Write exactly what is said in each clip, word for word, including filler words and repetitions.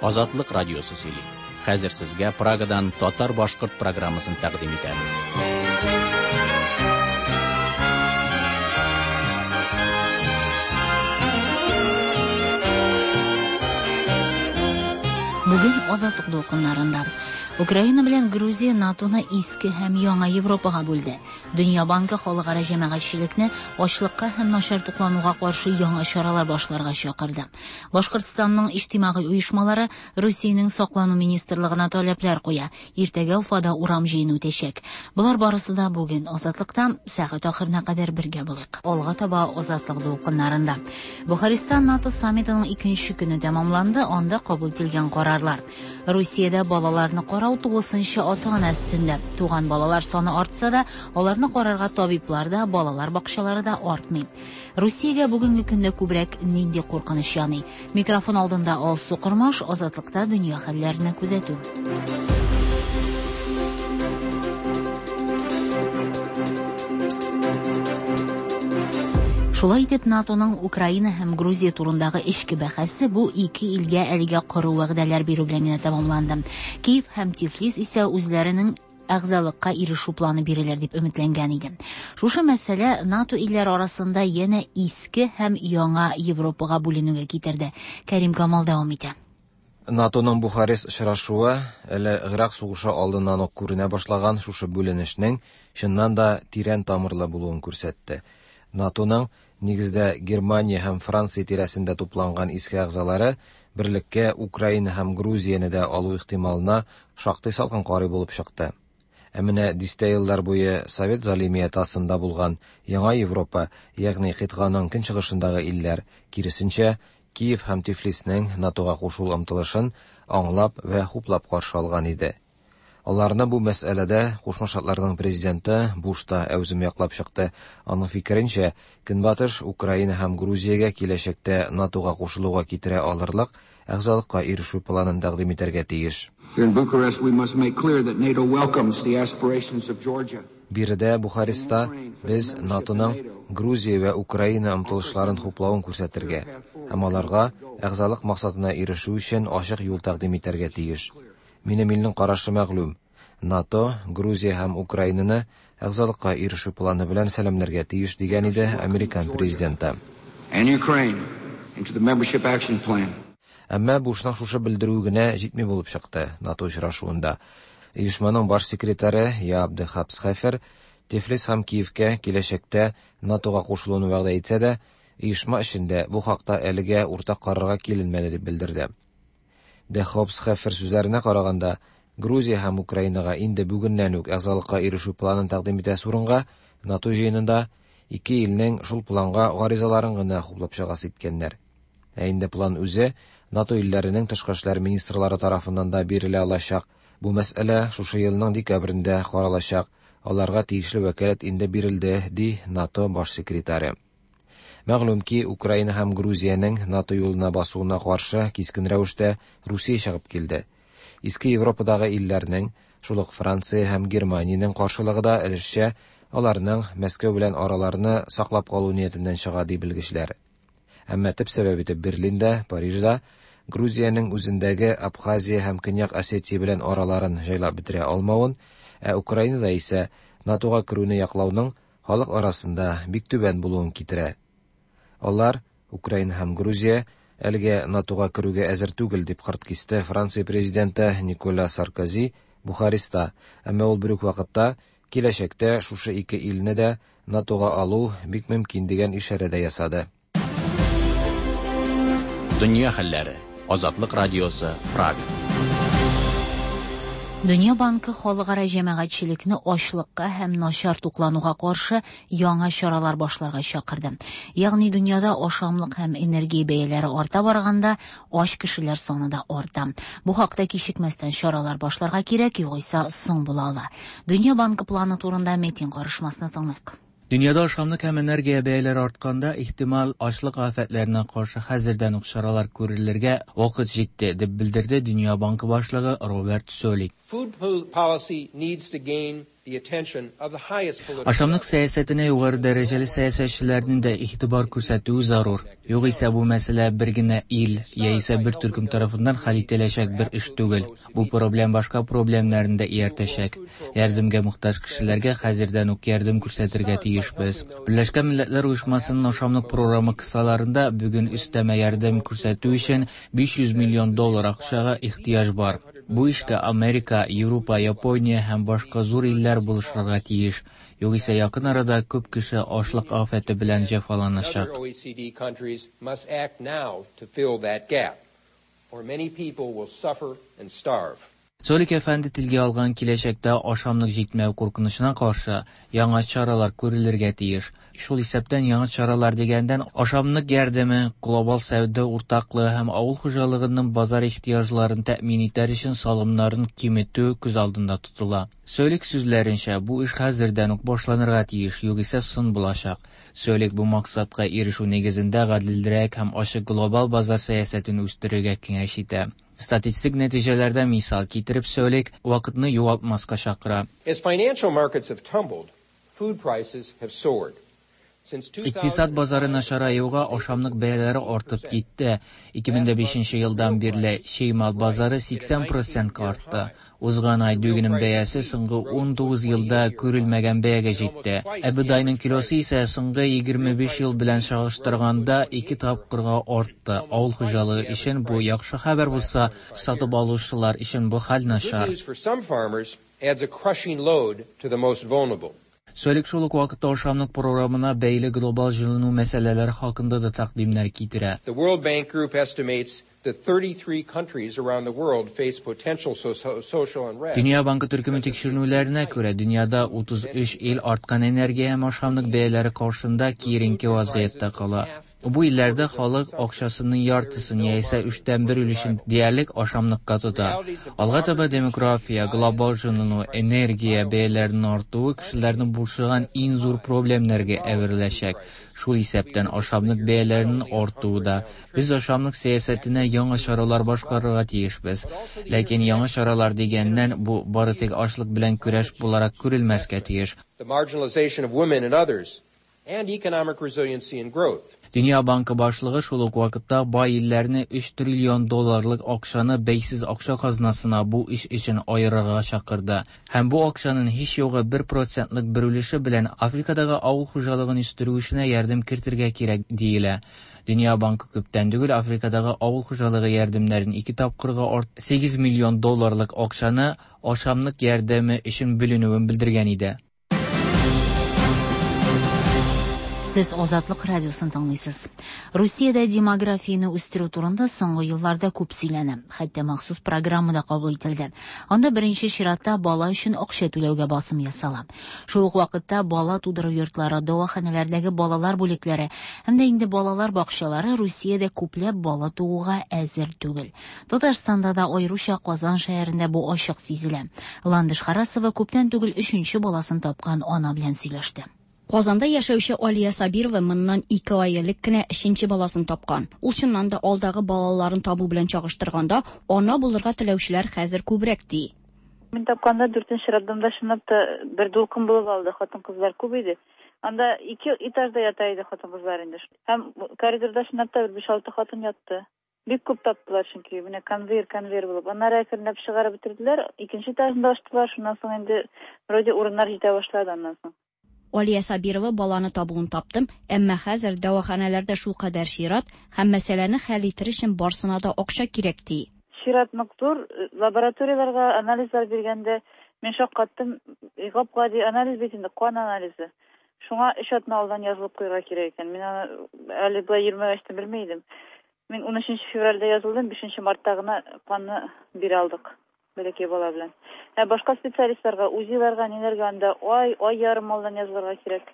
Азатлык радиосы сөйли. Хәзер сезгә Прагадан татар-башкорт программасын тәкъдим итәбез. Бүген Азатлык дулкыннарында Украина белән Грузия НАТОны иске һәм яңа Европага бүлде. Дөнья банкы халыкара җәмәгатьчелекне ачлыкка һәм начар туклануга каршы яңа чаралар башларга чакырды. Башкортстанның иҗтимагый оешмалары Русиянең саклану министрлыгына таләпләр куя. Иртәгә Уфада урам җыены үтәчәк. Болар барысы да бүген Азатлыкта сәгать ахырына кадәр бергә булыйк. Алга таба Азатлык дулкыннарында. Бухарестта НАТО саммитының икенче көне тәмамланды, анда кабул ителгән карарлар. Русиядә балаларны карау тулысынча ата-ана өстендә. Туган балалар саны артса да, аларны карарга табиблар да, балалар бакчалары да артмый. Русиягә бүгенге көндә күбрәк нинди куркыныч яный? Микрофон алдында Алсу Кормаш, Азатлыкта дөнья хәлләренә күзәтү. Шулай итеп, НАТОның Украина һәм Грузия турындагы эчке бәхәсе бу ике илгә әлегә коры вәгъдәләр бирү белән генә тәмамланды. Киев һәм Тифлис исә үзләренең әгъзалыкка ирешү планы бирелер дип өметләнгән иде. Шушы мәсьәлә НАТО илләре арасында янә иске һәм яңа Европага бүленүгә китерде. Кәрим Камал дәвам итә. НАТОның Бухарест очрашуы әле Гыйрак сугышы алдыннан ук күренә башлаган шушы бүленешнең чыннан да тирән тамырлы булуын күрсәтте. НАТОның нигездә Германия һәм Франция тирәсендә тупланган иске әгъзалары берлеккә Украина һәм Грузияне дә алу ихтималына шактый салкын карый булып чыкты. Ә менә дистә еллар буе Совет залимияте астында булган Яңа Европа, ягъни кыйтганың көнчыгышындагы илләр, киресенчә, Киев һәм Тифлиснең НАТОга кушылу омтылышын аңлап вә хуплап каршы алган иде. Аларны бу мәсьәләдә Кушма Штатларның президенты Буш та әүзем яклап чыкты. Аның фикеренчә, Көнбатыш Украина һәм Грузиягә киләчәктә НАТОга кушылуга китерә алырлык әгъзалыкка ирешү планын тәкъдим итәргә тиеш. Биредә Бухареста без НАТОның Грузия вә Украина омтылышларын хуплавын күрсәтергә һәм аларга әгъзалык максатына ирешү өчен ачык юл тәкъдим итәргә тиеш. Минем илнең карашы мәгълүм. НАТО, Грузия һәм Украинаны әгъзалыкка ирешү планы белән сәламләргә тиеш дигән иде Американ президенты. Әмма Бушның шушы белдерүе генә җитми булып чыкты НАТО очрашуында. Оешманың баш секретаре Яап де Хапсхефер Тифлис һәм Киевкә киләчәктә НАТОга кушылуны вәгъдә итсә дә, оешма эчендә бу хакта әлегә уртак карарга киленмәде дип белдерде. Де Хопсхефер сүзләренә караганда, Грузия һәм Украинага инде бүгеннән үк әгъзалыкка ирешү планын тәкъдим итәсе урынга НАТО җыенында ике илнең шул планга гаризаларын гына хуплап чыгасы иткәннәр. Ә инде план үзе НАТО илләренең тышкы эшләр министрлары тарафыннан да бирелә алачак. Бу мәсьәлә шушы елның декабрендә каралачак. Аларга тиешле вәкаләт инде бирелде, ди НАТО баш секретаре. Мәгълүм ки, Украина һәм Грузиянең НАТО юлына басуына каршы кискен рәвештә Русия чыгып килде. Иске Европадагы илләрнең, шул ук Франция һәм Германиянең каршылыгы да өлешчә аларның Мәскәү белән араларны саклап калу ниятеннән чыга ди белгечләр. Әмма төп сәбәп итеп Берлинда, Парижда Грузиянең үзендәге Абхазия һәм Көньяк Осетия белән араларын җайлап бетерә алмавын, ә Украинада исә НАТОга керүне яклауның халык арасында бик түбән булуын китерә. Алар, Украина һәм Грузия, әлегә НАТОга керүгә әзер түгел дип кырт кисте Франция президенты Николя Саркози Бухареста. Әмма ул бер үк вакытта киләчәктә шушы ике илне дә НАТОга алу бик мөмкин дигән ишарә дә ясады. Дөнья хәлләре. Азатлык радиосы, Прага. Дөнья банкы халыкара җәмәгатьчелекне ачлыкка һәм начар туклануга каршы яңа чаралар башларга чакырды. Ягъни дөньяда ашамлык һәм энергия бәяләре арта барганда, ач кешеләр саны да арта. Бу хакта кичекмәстән чаралар башларга кирәк, югыйсә соң була ала. Дөнья банкы планы турында Метин карышмасына тыңлыйк. Дөньяда ашамлык һәм энергия бәяләре артканда, ихтимал ачлык афәтләренә каршы хәзердән үк чаралар күрелергә вакыт җитте, дип белдерде Дөнья банкы башлыгы Роберт Солик. Food policy needs to gain Ашамлык сәясәтенә югары дәрәҗәле сәясәтчеләрнең дә игътибар күрсәтүе зарур. Югыйсә бу мәсьәлә бер генә ил яисә бер төркем тарафыннан хәл ителәчәк бер эш түгел. Бу проблем башка проблемнарны да ияртәчәк. Ярдәмгә мохтаҗ кешеләргә хәзердән үк ярдәм күрсәтергә тиешбез. Берләшкән Милләтләр Оешмасының ашамлык програмы кысаларында бүген өстәмә ярдәм күрсәтү өчен биш йөз миллион доллар акчага ихтыяҗ бар. Бу эшкә Америка, Европа, Япония һәм башка зур илләр булышырга тиеш. Югыйсә якын арада күп кеше ачлык афәте белән җәфаланачак. Цолик әфәнде телгә алган киләчәктә ашамлык җитмәү куркынычына каршы яңа чаралар күрелергә тиеш. Шул исәптән яңа чаралар дигәндән ашамлык ярдәме, глобал сәүдә уртаклыгы һәм авыл хуҗалыгының базар ихтыяҗларын тәэмин итәр өчен салымнарын киметү күз алдында тотыла. Цолик сүзләренчә, бу эш хәзердән үк башланырга тиеш, югыйсә соң булачак. Цолик бу максатка ирешү нигезендә гаделрәк һәм ачык глобал базар сәясәтен үстерергә киңәш итә. Статистик нәтиҗәләрдә мисал китереп Цолик вакытны югалтмаска чакыра. As financial markets have tumbled, food prices have soared. Икътисад базары начараюга ашамлык бәяләре артып китте. ике мең бишенче елдан бирле чимал базары сиксән процентка артты. Узган ай дөгенең бәясе соңгы ун тугыз елда күрелмәгән бәягә җитте. Ә бодайның килосы исә соңгы егерме биш ел белән чагыштырганда ике тапкырга артты. Авыл хуҗалыгы өчен бу яхшы хәбәр булса, сатып алучылар өчен бу хәл начар. Цолик шул ук вакытта ашамлык програмына бәйле глобал җылыну мәсьәләләре хакында да тәкъдимнәр китерә. The World Bank Group estimates that thirty-three countries around the world face potential social unrest. Дөнья банкы төркеме тикшеренүләренә күрә, дөньяда утыз өч ил арткан энергия һәм ашамлык бәяләре каршында киеренке вазгыятьтә кала. Бу илләрдә халык акчасының яртысын яисә өчтән бер өлешен диярлек ашамлыкка тота. Алга таба демография, глобал җылыну, энергия бәяләренең артуы кешеләрне борчыган иң зур проблемнәргә әвереләчәк. Шул исәптән ашамлык бәяләренең артуы да. Без ашамлык сәясәтенә яңа чаралар башкарырга тиешбез. Ләкин яңа чаралар дигәннән бу бары тик ачлык белән көрәш буларак күрелмәскә тиеш. The marginalization of women and others and economic resiliency and growth. Дөнья банкы башлыгы шул ук вакытта бай илләрне өч триллион долларлык акчаны бәйсез акча казнасына бу эш өчен аерырга чакырды. Һәм бу акчаның һич югы бер процентлык бер өлеше белән Африкадагы авыл хуҗалыгын үстерү эшенә ярдәм кертергә кирәк диелә. Дөнья банкы күптән түгел Африкадагы авыл хуҗалыгы ярдәмнәрен ике тапкырга арт сигез миллион долларлык акчаны ашамлык ярдәме өчен бүленүен белдергән иде. Сез Азатлык радиосын тыңлыйсыз. Русиядә демографияне үстерү турында соңгы елларда күп сөйләнә. Хәтта махсус программа да кабул ителде. Анда беренче чиратта бала өчен акча түләүгә басым ясала. Шул ук вакытта бала тудыру йортлары, дәваханәләрдәге балалар бүлекләре һәм дә инде балалар бакчалары Русиядә күпләп бала тууга әзер түгел. Татарстанда да, аеруча Казан шәһәрендә бу ачык сизелә. Ландыш Харасова күптән түгел өченче баласын тапкан ана белән сөйләште. Казанда яшәүче Алия Сабирова моннан ике ай элек кенә өченче баласын тапкан. Ул чыннан да алдагы балаларын табу белән чагыштырганда, ана булырга теләүчеләр хәзер күбрәк ди. Мин тапканда дүртенче роддомда чынлап та бер дулкын булып алды, хатын-кызлар күп иде. Анда ике этажда ята иде хатын-кызлар инде. Һәм коридорда чынлап та бер биш-алты хатын ятты. Бик күп таптылар чөнки менә конвейер, конвейер булып. Аннары әкренләп чыгарып бетерделәр, икенче этажында ачтылар, шуннан соң инде вроде урыннар җитә башлады аннан соң. Алия Сабирова баланы табуын таптым, әмма хәзер дәваханәләрдә шул кадәр чират һәм мәсьәләне хәл итер өчен барсына да акча кирәк ди. Чират нык зур, лабораторияләргә анализлар биргәндә мин шаккаттым, гап-гади анализ бит инде, кан анализы. Шуңа өч атна алдан язылып куярга кирәк икән. Мин аны әле болай йөрмәгәч тә белми идем. Мин унөченче февральдә язылдым, бишенче мартта гына канны бирә алдык. Бәләкәй бала белән. Ә башка специалистларга, УЗИларга, ниләргә анда ай, ай ярым алдан язылырга кирәк.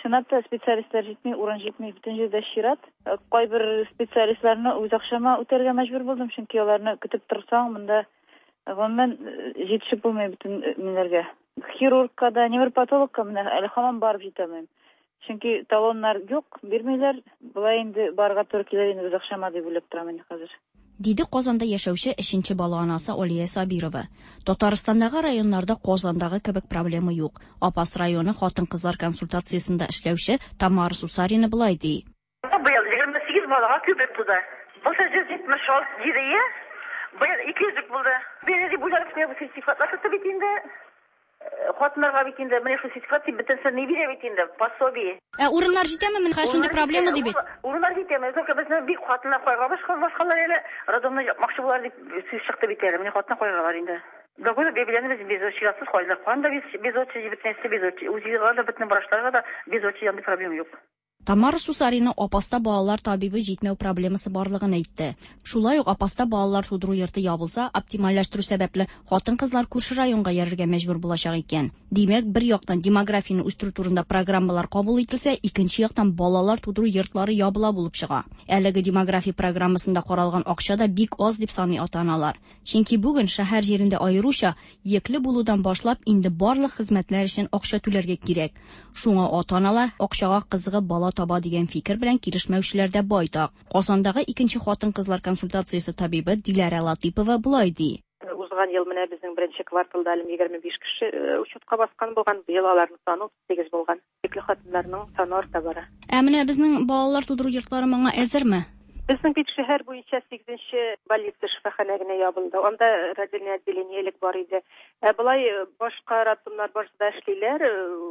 Чынлап та специалистлар җитми, урын җитми, бөтен җирдә чират. Кайбер специалистларны үз акчама үтәргә мәҗбүр булдым, чөнки аларны көтеп торсаң, монда гомумән җитешеп булмый бөтен ниләргә. Хирургка да, невропатологка менә әле һаман барып җитә алмыйм. Чөнки талоннар юк, бирмиләр. Болай инде барырга туры килер инде үз акчама дип уйлап торам инде хәзер. Диде Казанда яшәүче өченче бала анасы Алия Сабирова. Татарстандагы районнарда Казандагы кебек проблема юк. Апас районы хатын-кызлар консультациясендә эшләүче Тамара Сусарина болай ди. Быел егерме сигез балага күбрәк туды. Былтыр йөз җитмеш алты иде, быел ике йөзлек булды. Бер дип уйлап куябыз, сертификатлар сатып бит инде. Хатыннарга бит инде менә шул сертификат дип бөтенесе ни бирә бит инде, пособие. Ә урыннар җитәме? Менә шундый проблема ди бит. Урыннар җитәме? Только безне бик хатыннар куйга башка башкалар әле роддомны япмакчы булар дип сүз чыкты бит әле. Менә хатыннар куйгалар инде. Дагы бәбиләрне без без чиратсыз куйдык. Канда без без очередь бөтенесе без очередь. УЗИга да бөтен врачларга да без очередь андый проблема юк. Тамара Сусарина Апаста балалар табибы җитмәү проблемасы барлыгын әйтте. Шулай ук Апаста балалар тудыру йорты ябылса, оптимальләштерү сәбәпле хатын-кызлар күрше районга йөрергә мәҗбүр булачак икән. Димәк, бер яктан демографияне үстерү турында программалар кабул ителсә, икенче яктан балалар тудыру йортлары ябыла булып чыга. Әлеге демография программасында каралган акча да бик аз дип саный ата-аналар. Чөнки бүген шәһәр җирендә аеруча йөкле булудан башлап инде барлык хезмәтләр өчен акча түләргә кирәк. Шуңа ата-аналар акчага кызыгып бала таба дигән фикер белән килешмәүчеләр дә байтак. Казандагы икенче хатын-кызлар консультациясе табибы Диләрә Латыпова болай ди. Узган ел менә безнең беренче кварталда әле егерме биш кеше учетка баскан булган, быел аларның саны утыз сигез булган. Йөкле хатыннарның саны арта бара. Ә менә безнең балалар тудыру йортлары моңа әзерме? Безнең бит шәһәр буенча сигезенче больница шифаханә генә ябылды. Анда родильное отделение элек бар иде. Ә болай башка роддомнар барысы да эшлиләр,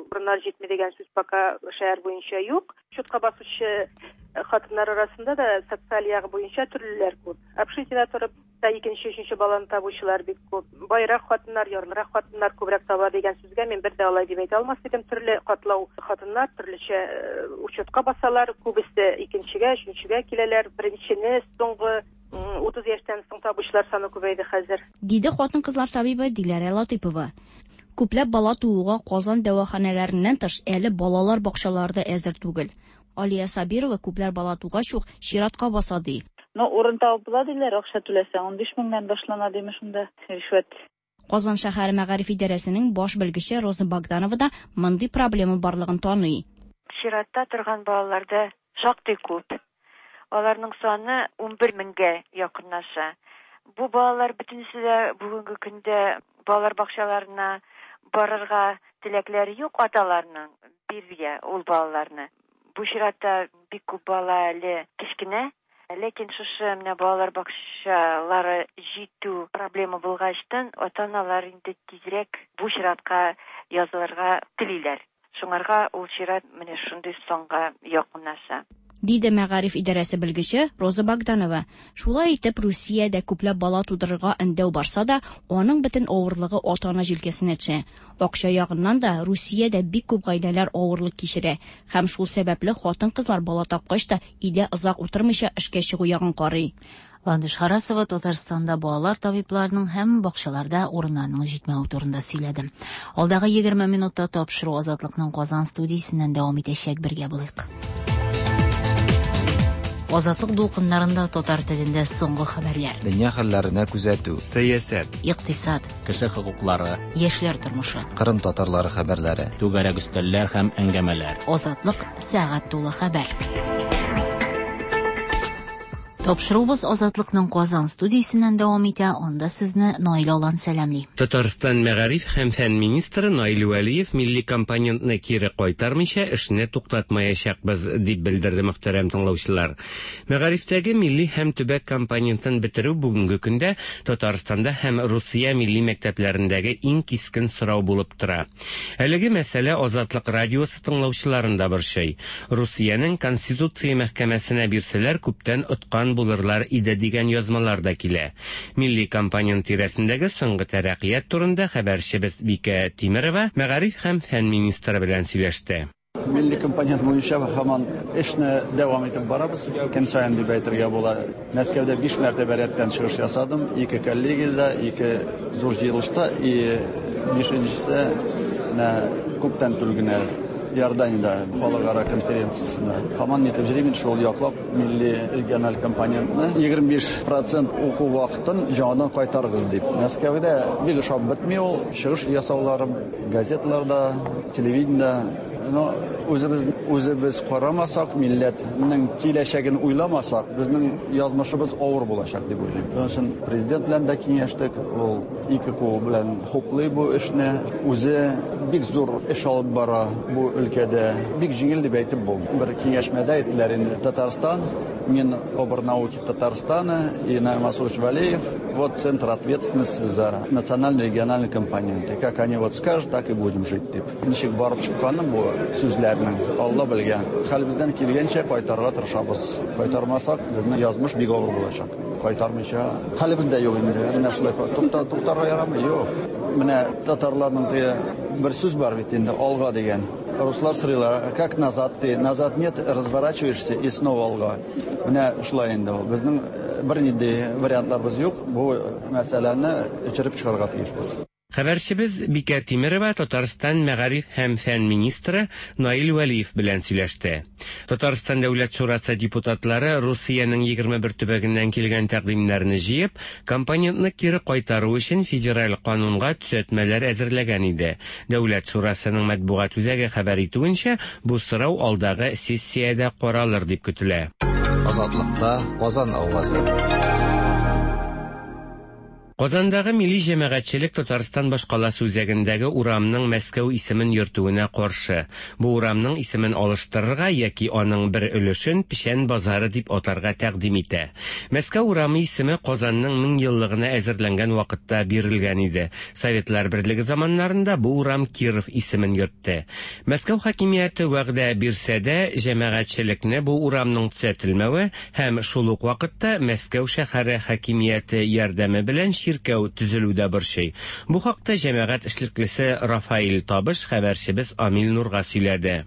урыннар җитми дигән сүз пока шәһәр буенча юк. Учетка басучы хатыннар арасында да социаль ягы буенча төрлеләр күп. Общежитиедә торып та икенче, өченче баланы табучылар бик күп. Байрак хатыннар, ярлырак хатыннар күбрәк таба дигән сүзгә мин бер дә алай дип әйтә алмас идем. Төрле катлау хатыннар төрлечә учетка басалар, күбесе икенчегә, өченчегә киләләр. Беренчене соңгы утыз яшьтән соң табучылар саны күбәйде хәзер. Диде хатын-кызлар табибы Диләрә Латыпова. Күпләп бала тууга Казан дәваханәләреннән тыш әле балалар бакчалары да әзер түгел. Алия Сабирова күпләр бала тугач ук чиратка баса ди. Но урын табып була диләр, акча түләсәң ун биш меңнән башлана диме шунда ришвәт. Казан шәһәре мәгариф идарәсенең баш белгече Роза Богданова да мондый проблема барлыгын таный. Чиратта торган балаларда шактый күп. Аларның саны ун бер меңгә якынлаша. Бу балалар бөтенесе дә бүгенге көндә балалар бакчаларына барырга теләкләре юк аталарның биргә ул балаларны. Бу чиратта бик күп бала әле кечкенә, ләкин шушы менә балалар бакчалары җитү проблема булгачтан ата-аналар инде тизрәк бу чиратка язылырга телиләр. Шуңарга ул чират менә шундый санга якынлаша. Диде мәгариф идарәсе белгече Роза Богданова. Шулай итеп, Русиядә күпләп бала тудырырга өндәү барса да, аның бөтен авырлыгы ата-ана җилкәсенә төшә. Акча ягыннан да Русиядә бик күп гаиләләр авырлык кичерә һәм шул сәбәпле хатын-кызлар бала тапкач та өйдә озак утырмыйча эшкә чыгу ягын карый. Ландыш Харасова Татарстанда балалар табибларының һәм бакчаларда урыннарның җитмәве турында сөйләде. Алдагы егерме минутта тапшыру Азатлыкның Казан студиясеннән дәвам итәчәк, бергә булыйк. Азатлык дулкыннарында татар телендә соңгы хәбәрләр. Дөнья хәлләренә күзәтү, сәясәт, икътисад, кеше хокуклары, яшьләр тормышы, Кырым татарлары хәбәрләре, түгәрәк өстәлләр һәм әңгәмәләр. Азатлык сәгать тулы хәбәр. Тапшыруыбыз Азатлыкның Казан студиясеннән дәвам итә. Анда сезне Наил Алан сәламли. Татарстан мәгариф һәм фән министры Наил Вәлиев милли компонентны кире кайтармыйча эшне туктатмаячакбыз дип белдерде мөхтәрәм тыңлаучылар. Мәгарифтәге милли һәм төбәк компонентын бетерү бүгенге көндә Татарстанда һәм Русия милли мәктәпләрендәге иң кискен сорау булып тора. Әлеге мәсьәлә Азатлык радиосы тыңлаучыларын да борчый. Русиянең Конституция мәхкәмәсенә бирсәләр күптән откан булырлар иде дигән язмалар да килә. Милли компонент тирәсендәге соңгы тәрәккыят турында хәбәрчебез Бикә Тимерова мәгариф һәм фән министры белән сөйләште. Милли компонент буенча һаман эшне дәвам итеп барабыз. Көн саен дип әйтергә була. Мәскәүдә биш мәртәбә рәттән чыгыш ясадым. Ике коллегиядә, ике зур җыелышта, и бишенчесе менә күптән түгел генә Иорданиядә халыкара конференциясендә. Һаман нитеп йөрим, шул яклап милли региональ компонентны егерме биш процент уку вакытын яңадан кайтарыгыз дип. Мәскәүдә бик ошап бетми ул чыгыш ясауларым газеталарда, телевидениедә, но Үзебез үзебез карамасак, милләтнең киләчәген уйламасак, безнең язмышыбыз авыр булачак дип уйлыйм. Шуның өчен президент белән дә киңәштек, ул ике кул белән хуплый бу эшне. Үзе бик зур эш алып бара бу өлкәдә. Бик җиңел дип әйтеп булмый. Бер киңәшмәдә әйттеләр инде, Татарстан, Минобрнауки Татарстана и Наиль Мансурович Валеев, вот центр ответственности за национально-региональные компоненты. Как они вот скажут, так и будем жить дип. Ничек барып чыкканы бу сүзләрнең, Алла белгән. Хәлебездән килгәнчә кайтарырга тырышабыз. Кайтармасак, безнең язмыш бик авыр булачак. Кайтармыйча хәлебез дә юк инде. Менә шулай тукта, туктарга ярамый, юк. Менә татарларның теге бер сүз бар бит инде, алга дигән. Руслар сорыйлар, как назад ты? Назад нет, разворачиваешься и снова алга. Менә шулай инде ул. Безнең бернинди вариантларыбыз юк. Бу мәсьәләне эчереп чыгарга тиешбез. Хәбәрчебез Бикә Тимерова Татарстан мәгариф һәм фән министры Наил Вәлиев белән сөйләште. Татарстан Дәүләт шурасы депутатлары Русиянең егерме бер төбәгеннән килгән тәкъдимнәрне җыеп, компонентны кире кайтару өчен федераль канунга төзәтмәләр әзерләгән иде. Дәүләт шурасының матбугат үзәге хәбәр итүенчә, бу сорау алдагы сессиядә каралыр дип көтелә. Азатлыкта Казан авазы. Казандагы милли җәмәгатьчелек Татарстан башкаласы үзәгендәге урамның Мәскәү исемен йөртүенә каршы. Бу урамның исемен алыштырырга яки аның бер өлешен Печән базары дип атарга тәкъдим итә. Мәскәү урамы исеме Казанның мең еллыгына әзерләнгән вакытта бирелгән иде. Советлар Берлеге заманнарында бу урам Киров исемен йөртте. Мәскәү хакимияте вәгъдә бирсә дә, җәмәгатьчелекне бу урамның төзәтелмәве һәм шул ук вакытта Мәскәү шәһәре хакимияте ярдәме белән чиркәү төзелүдә борчый. Бу хакта җәмәгать эшлеклесе Рафаил Табыш хәбәрчебез Амил Нурга сөйләде.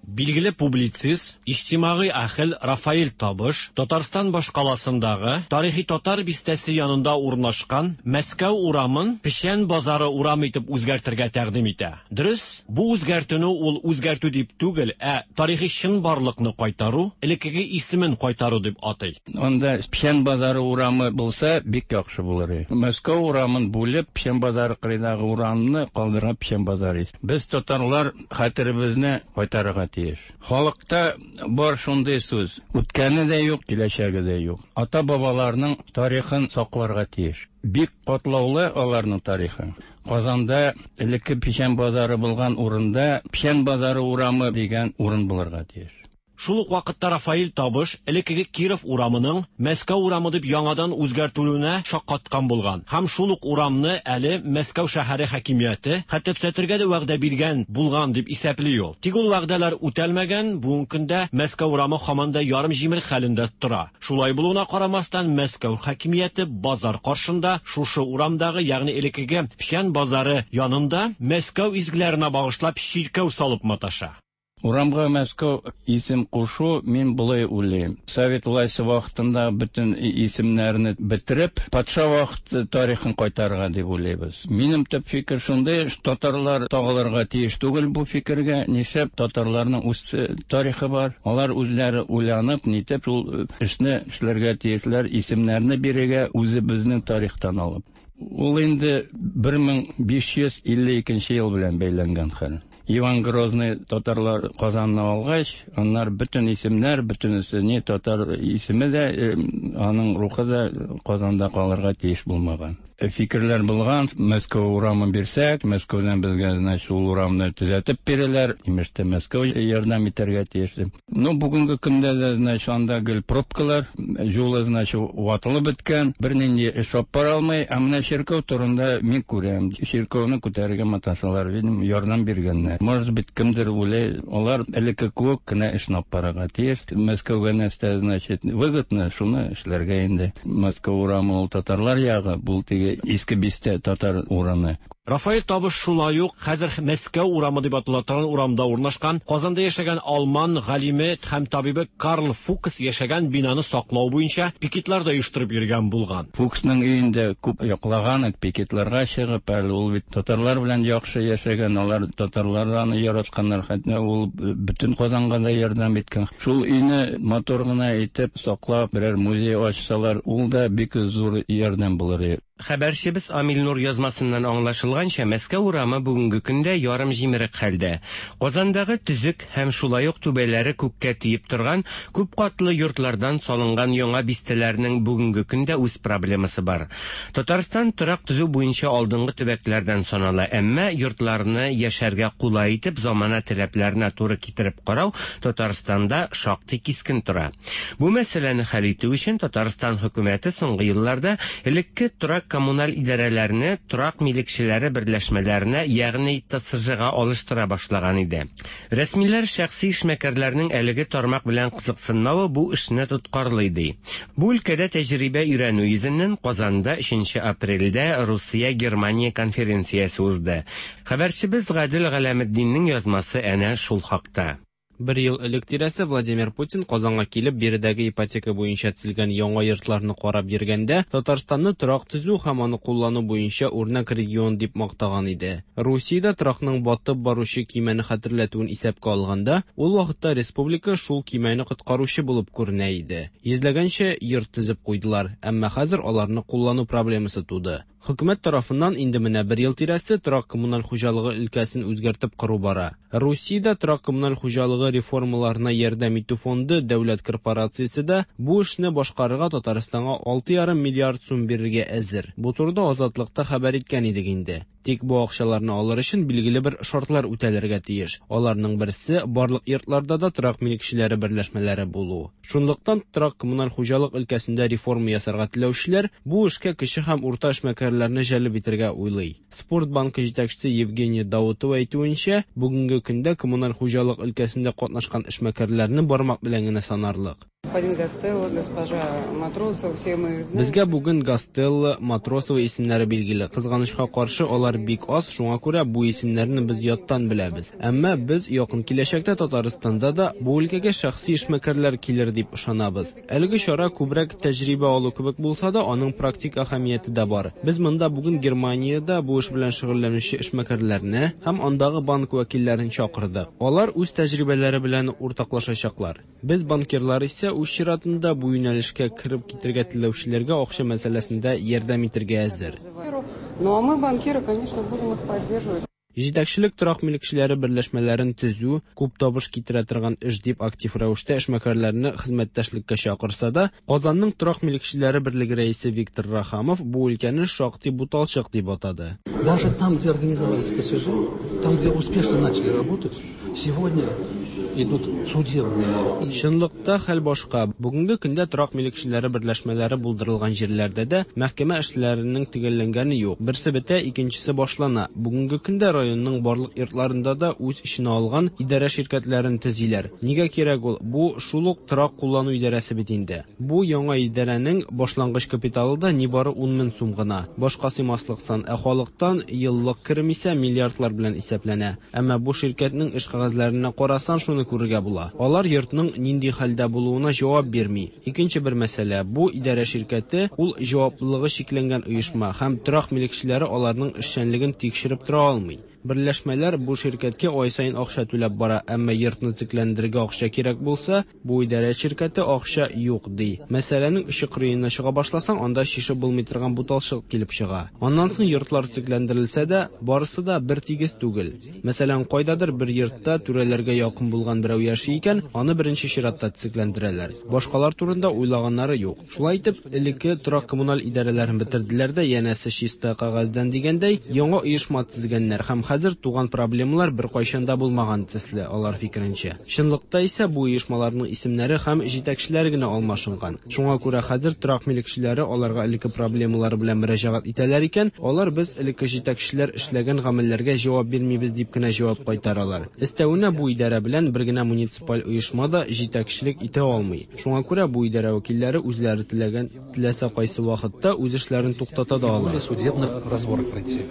Билгеле публицист, иҗтимагый әһел Рафаил Табыш Татарстан башкаласындагы тарихи татар бистәсе янында урнашкан Мәскәү урамын Печән базары урамы итеп үзгәртергә тәкъдим итә. Дөрес, бу үзгәртүне ул үзгәртү дип түгел, ә тарихи чынбарлыкны кайтару, элеккеге исемен кайтару дип атый. Анда Печән базары урамы булса бик яхшы булыр иде. Мәскәү урамын бүлеп, Печән базары кырыйдагы урамны калдырган Печән базары. Без татарлар хәтеребезне кайтарырга тиеш. Халыкта бар шундый сүз: үткәне дә юк, киләчәге дә юк. Ата-бабаларның тарихын сакларга тиеш. Бик катлаулы аларның тарихы. Казанда элекке Печән базары булган урында Печән базары урамы дигән урын булырга тиеш. Шул ук вакытта Рафаил Табыш элеккеге Киров урамының Мәскәү урамы дип яңадан үзгәртелүенә шаккаткан булган. Һәм шул ук урамны әле Мәскәү шәһәре хакимияте хәтта төзәтергә дә вәгъдә биргән булган дип исәпли ул. Тик ул вәгъдәләр үтәлмәгән, бүгенге көндә Мәскәү урамы һаман да ярым җимерек хәлендә тора. Шулай булуына карамастан, Мәскәү хакимияте базар каршында шушы урамдагы, ягъни элеккеге Печән базары янында Мәскәү изгеләренә багышлап чиркәү салып маташа. Урамга Мәскәү исем кушу мин болай уйлыйм. Совет власте вакытында бөтен исемнәрне бетереп, патша вакыты тарихын кайтарырга дип уйлыйбыз. Минем төп фикер шундый, татарлар тагылырга тиеш түгел бу фикергә. Нишләп татарларның үз тарихы бар? Алар үзләре уйланып, нитеп шул эшне эшләргә тиешләр, исемнәрне бирергә үзебезнең тарихтан алып. Ул инде бер мең биш йөз илле икенче ел белән бәйләнгән хәл. Иван Грозный татарлар Казанны алгач, аннар бөтен исемнәр, бөтенесе не татар исеме дә, аның рухы да Казанда калырга тиеш булмаган. Фикерләр булган, Мәскәү урамын бирсәк, Мәскәүдән безгә, значит, ул урамны төзәтеп бирәләр, имештә Мәскәү ярдәм итәргә тиеш. Ну, бүгенге көндә дә, значит, анда гел пробкалар, юлы, значит, ватылып беткән, бернинди эш алып бара алмый. Ә менә чиркәү турында мин күрәм, чиркәүне күтәрергә маташалар, видимо, ярдәм биргәннәр. Может быть, кемдер уйлый, алар элекке кебек кенә эшне алып барырга тиеш. Мәскәүгә нәрсә, значит, выгодно, шуны эшләргә инде. Мәскәү урамы ул татарлар ягы, бу теге иске бистә татар урыны. Рафаил Табыш шулай ук хәзер Мәскәү урамы дип атала торган урамда урнашкан Казанда яшәгән алман галиме һәм табибы Карл Фукс яшәгән бинаны саклау буенча пикетлар да оештырып йөргән булган. Фуксның өендә күп яклаган, пикетларга чыгып, әле ул бит татарлар белән яхшы яшәгән, алар татарлар аны яратканнар, хәтта ул бөтен Казанга да ярдәм иткән. Шул өйне матур гына итеп саклап, берәр музей ачсалар, ул да бик зур ярдәм булыр иде. Хәбәрчебез Амил Нур язмасыннан аңлашылганча, булганча, Мәскәү урамы бүгенге көндә ярым җимерек хәлдә. Казандагы төзек һәм шулай ук түбәләре күккә тиеп торган күп катлы йортлардан салынган яңа бистәләрнең бүгенге көндә үз проблемасы бар. Татарстан торак төзү буенча алдынгы төбәкләрдән санала, әмма йортларны яшәргә кулай итеп замана таләпләренә туры китереп карау Татарстанда шактый кискен тора. Бу мәсьәләне хәл итү өчен Татарстан хөкүмәте соңгы елларда элекке торак коммуналь идарәләрне торак милекчеләре берләшмәләренә, ягъни Т С Ж-га алыштыра башлаган иде. Рәсмиләр шәхси эшмәкәрләрнең әлеге тармак белән кызыксынмавы бу эшне тоткарлый ди. Бу өлкәдә тәҗрибә өйрәнү йөзеннән Казанда өченче апрельдә Русия-Германия конференциясе узды. Хәбәрчебез Гадел Галәметдиннең язмасы әнә шул хакта. Бер ел элек тирәсе Владимир Путин Казанга килеп, биредәге ипотека буенча төзелгән яңа йортларны карап йөргәндә, Татарстанны торак төзү һәм аны куллану буенча үрнәк регион дип мактаган иде. Русиядә торакның батып баручы көймәне хәтерләтүен исәпкә алганда, ул вакытта республика шул көймәне коткаручы булып күренә иде. Йөзләгәнчә йорт төзеп куйдылар, әмма хәзер аларны куллану проблемасы туды. Хөкүмәт тарафыннан инде менә бер ел тирәсе торак коммуналь хуҗалыгы өлкәсен үзгәртеп кору бара. Русиядә торак коммуналь хуҗалыгы реформаларына ярдәм итү фонды дәүләт корпорациясе дә бу эшне башкарырга Татарстанга алты ярым миллиард сум бирергә әзер. Бу турыда Азатлыкта хәбәр иткән идек инде. Тик бу акчаларны алыр өчен билгеле бер шартлар үтәлергә тиеш. Аларның берсе барлык йортларда да торак милекчеләре берләшмәләре булу. Шунлыктан торак коммуналь хуҗалык өлкәсендә реформа ясарга теләүчеләр бу эшкә кече һәм урта эшмәкәрләрне җәлеп итәргә уйлый. Спорт банкы җитәкчесе Евгения Даутова әйтүенчә, бүгенге көндә коммуналь хуҗалык өлкәсендә катнашкан эшмәкәрләрне бармак белән генә санарлык. Господин Гастелло, госпожа Матросова, все мы их знаем. Безгә бүген Гастелло, Матросова исемнәре билгеле. Кызганычка каршы, алар бик аз, шуңа күрә бу исемнәрне без яттан беләбез. Әмма без якын киләчәктә Татарстанда да бу өлкәгә шәхси эшмәкәрләр килер дип ышанабыз. Әлеге чара күбрәк тәҗрибә алу кебек булса да, аның практик әһәмияте дә бар. Без монда бүген Германиядә бу эш белән шөгыльләнүче эшмәкәрләрне һәм андагы банк вәкилләрен чакырдык. Алар үз тәҗрибәләре белән уртаклашачаклар. Без банкирлар исә үз чиратында бу юнәлешкә кереп китәргә теләүчеләргә акча мәсьәләсендә ярдәм итәргә әзер. Ну а мы, банкиры, конечно, будем их поддерживать. Җитәкчелек торак милекчеләре берләшмәләрен төзү күп табыш китерә торган эш дип актив рәвештә эшмәкәрләрне хезмәттәшлеккә чакырса да, Казанның торак милекчеләре берлеге рәисе Виктор Рахамов бу өлкәне шактый буталчык дип атады. Даже там, где организовались Т С Ж, там, где успешно начали работать, сегодня идут судебные. Чынлыкта хәл башка. Бүгенге көндә торак милекчеләре берләшмәләре булдырылган җирләрдә дә мәхкәмә эшләренең төгәлләнгәне юк. Берсе бетә, икенчесе башлана. Бүгенге көндә районның барлык йортларында да үз эченә алган идарә ширкәтләрен төзиләр. Нигә кирәк ул? Бу шул ук торак куллану идарәсе бит инде. Бу яңа идарәнең башлангыч капиталы да нибары ун мең сум гына. Башка сыймаслык сан, ә халыктан еллык керем исә миллиардлар белән исәпләнә. Әмма бу ширкәтнең эш кәгазьләренә карасан, шуны күрергә була. Алар йортның нинди хәлдә булуына җавап бирми. Икенче бер мәсьәлә, бу идарә ширкәте ул җаваплылыгы чикләнгән оешма һәм торак милекчеләре аларның эшчәнлеген тикшереп тора алмый. Берләшмәләр бу ширкәткә ай саен акча түләп бара, әмма йортны төзекләндерергә акча кирәк булса, бу идарә ширкәте акча юк ди. Мәсьәләнең очы кырыена чыга башласаң, анда чишеп булмый торган буталчык килеп чыга. Аннан соң йортлар төзекләндерелсә дә, барысы да бер тигез түгел. Мәсәлән, кайдадыр бер йортта түрәләргә якын булган берәү яши икән, аны беренче чиратта төзекләндерәләр. Башкалар турында уйлаганнары юк. Шулай итеп, элекке торак коммуналь идарәләрен бетерделәр дә, янәсе чиста кәгазьдән дигәндәй, яңа оешма төзегәннәр һәм хәзер туган проблемалар беркайчан да булмаган төсле, алар фикеренчә. Чынлыкта исә бу оешмаларның исемнәре һәм җитәкчеләре генә алмашынган. Шуңа күрә хәзер торак милекчеләре аларга элекке проблемалары белән мөрәҗәгать итәләр икән, алар без элекке җитәкчеләр эшләгән гамәлләргә җавап бирмибез дип кенә җавап кайтаралар. Өстәвенә бу идарә белән бер генә муниципаль оешма да җитәкчелек итә алмый. Шуңа күрә бу идарә вәкилләре үзләре теләгән теләсә кайсы вакытта үз эшләрен туктата да ала. Судебных разборок пройти.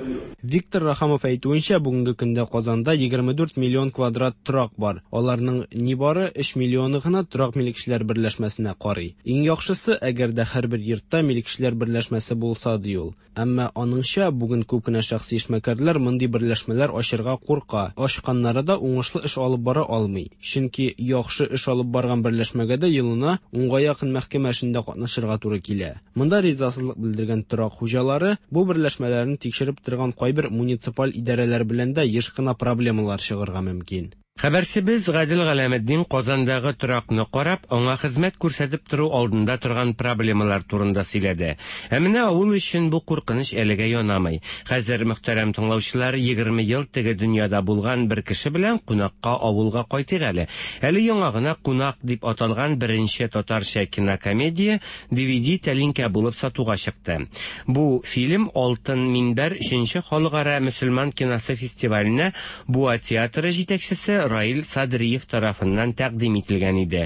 Виктор Рахамов әйтүенчә, Әйтүенчә, бүгенге көндә Казанда егерме дүрт миллион квадрат торак бар. Аларның нибары өч миллионы гына торак милекчеләр берләшмәсенә карый. Иң яхшысы, әгәр дә һәрбер йортта милекчеләр берләшмәсе булса, ди ул. Әмма аныңча, бүген күп кенә шәхси эшмәкәрләр мондый берләшмәләр ачырга курка. Ачканнары да уңышлы эш алып бара алмый. Чөнки яхшы эш алып барган берләшмәгә дә елына унга якын мәхкәмә эшендә катнашырга туры килә. Монда ризасызлык белдергән торак хуҗалары бу берләшмәләрне тикшереп торган кайбер муниципаль идарәләр белән дә еш кына проблемалар чыгарга мөмкин. Хәбәрчебез Гадел Галәметдин Казандагы торакны карап, аңа хезмәт күрсәтеп тору алдында торган проблемалар турында сөйләде. Ә менә авыл өчен бу куркыныч әлегә янамый. Хәзер, мөхтәрәм тыңлаучылар, егерме ел теге дөньяда булган бер кеше белән кунакка авылга кайтыйк әле. Әле яңа гына «Кунак» дип аталган беренче татарча кинокомедия ди ви ди тәлинкә булып сатуга чыкты. Бу фильм Алтын Минбәр өченче халыкара мөселман киносы фестиваленә Буа театры җитәкчесе Раил Садриев тарафыннан тәкъдим ителгән иде.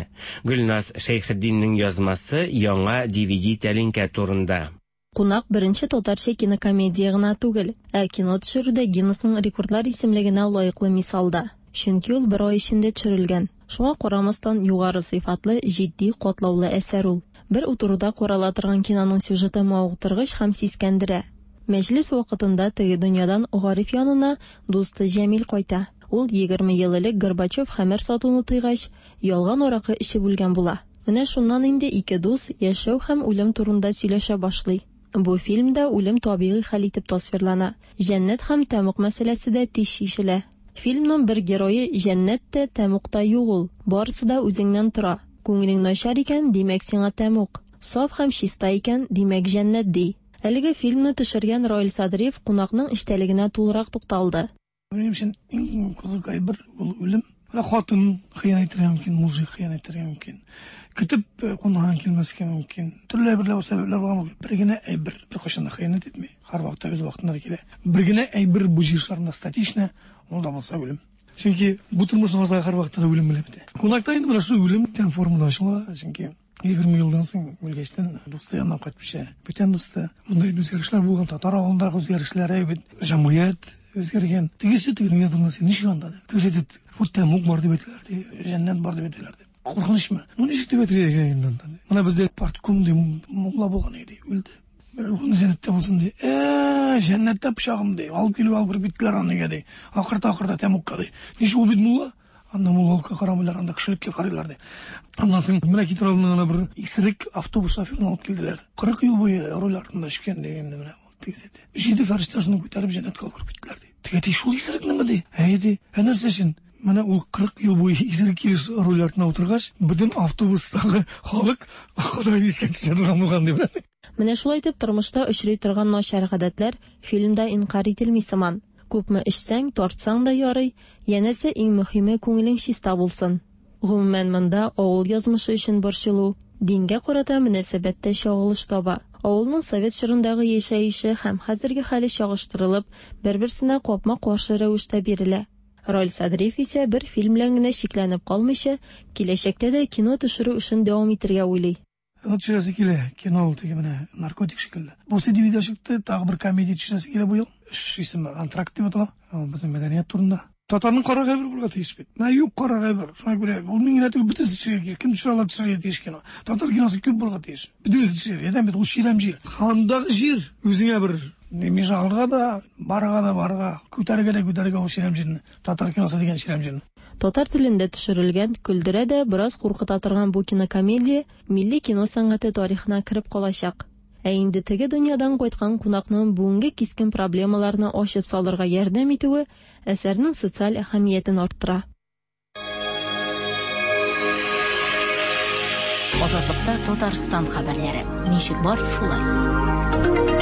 Гөлназ Шәйхетдиннең язмасы яңа ди ви ди тәлинкә турында. Кунак беренче татарча кинокомедия гына түгел, ә кино төшерүдә Гиннесның рекордлар исемлегенә лаеклы мисал да. Чөнки ул бер ай эчендә төшерелгән. Шуңа карамастан югары сыйфатлы, җитди, катлаулы әсәр ул. Бер утыруда карала торган киноның сюжеты мавыктыргыч һәм сискәндерә. Мәҗлес вакытында теге дөньядан Гариф янына дусты Җәмил кайта. Ул егерме ел элек Горбачев хәмер сатуны тыйгач, ялган аракы эчеп үлгән була. Менә шуннан инде ике дус яшәү һәм үлем турында сөйләшә башлый. Бу фильмда үлем табигый хәл итеп тасвирлана. Җәннәт һәм тәмуг мәсьәләсе дә тиз чишелә. Фильмның бер герое җәннәт тә, тәмуг та юк ул. Барысы да үзеңнән тора. Күңелең начар икән, димәк сиңа тәмуг. Саф һәм чиста икән, димәк җәннәт ди. Әлеге фильмны төшергән Раил Садриев кунакның эчтәлегенә тулырак тукталды. Минем өчен иң кызык әйбер ул үлем. Менә хатын хыянәт итәргә мөмкин, мужик хыянәт итәргә мөмкин. Көтеп кунаган килмәскә мөмкин. Төрле әйберләр, сәбәпләр булган мөмкин. Бер генә әйбер беркайчан да хыянәт итми. Һәрвакытта үз вакытында килә. Бер генә әйбер бу җир шарында статична, ул да булса үлем. Чөнки бу тормышның азагы һәрвакытта да үлем белән бетә. Кунакта инде менә шул үлем дигән формада ачыла, чөнки егерме елдан соң үлгәчтән дусты янына кайтып төшә. Бүтән дусты. Монда инде үзгәрешләр булган, татар авылындагы үзгәрешләр, әйбәт, җәмгыять үзгәргән. Тегесе тегенең янында син ничек анда? Тегесе әйтә, вот тәмуг бар дип әйтәләр, ди, җәннәт бар дип әйтәләр, ди. Куркынычмы? Ну ничек дип әйтергә икән инде анда? Менә бездә партком ди, мулла булган иде, үлде. Рухны җәннәттә булсын ди. Э, җәннәттә пычагым ди. Алып килеп алып кереп киттеләр аны ди. Акырта-акырта тәмугка ди. Ничек ул бит мулла? Анда муллалыкка карамыйлар, анда кешелеккә карыйлар ди. Аннан соң менә китер алдыннан гына бер исерек автобус шоферын алып килделәр. Кырык ел буе руль артында эчкән дигәндә менә тегесе әйтә. Җиде фәрештә шуны күтәреп җәннәткә алып кереп киттеләр ди. Теге әйтә, шул исерекнеме ди? Әйе ди. Ә нәрсә өчен? Менә ул кырык ел буе исерек килеш руль артына утыргач, бөтен автобустагы халык Ходайны искә төшерә торган булган дип беләсең. Менә шулай итеп тормышта очрый торган начар гадәтләр фильмда инкар ителми сыман. Күпме эчсәң, тартсаң да ярый, янәсе иң мөһиме күңелең чиста булсын. Гомумән монда авыл язмышы өчен борчылу, дингә карата мөнәсәбәттә чагылыш таба. Авылның совет чорындагы яшәеше һәм хәзерге хәле чагыштырылып, бер-берсенә капма-каршы рәвештә бирелә. Раил Садриев исә бер фильм белән генә чикләнеп калмыйча, киләчәктә дә кино төшерү эшен дәвам итәргә уйлый. Кино төшерәсе килә, кино ул теге менә наркотик шикелле. Бу ди ви ди чыкты, тагы бер комедия төшерәсе килә бу ел. Эш исеме Антракт дип атала. Ул безнең мәдәният турында. Татарның кара әйбер булырга тиеш бит. Менә юк кара әйбер. Шуңа күрә ул мин генә түгел, бөтенесе төшерергә кирәк. Кем төшерә ала, төшерергә тиеш кино. Татар киносы күп булырга тиеш. Бөтенесе төшерергә. Әдәм бит ул чирәм җир. Хандагы җир үзеңә бер межалга да, барга да барга, күтәрергә дә күтәрергә ул чирәм җирне. Татар киносы дигән чирәм җирне. Татар телендә төшерелгән, көлдерә дә, бераз куркыта торган бу кинокомедия милли кино сәнгате тарихына кереп калачак. Ә инде теге дөньядан кайткан кунакның бүгенге кискен проблемаларны ачып салырга ярдәм итүе әсәрнең социаль әһәмиятен арттыра. Азатлыкта Татарстан хәбәрләре. Ничек бар, шулай.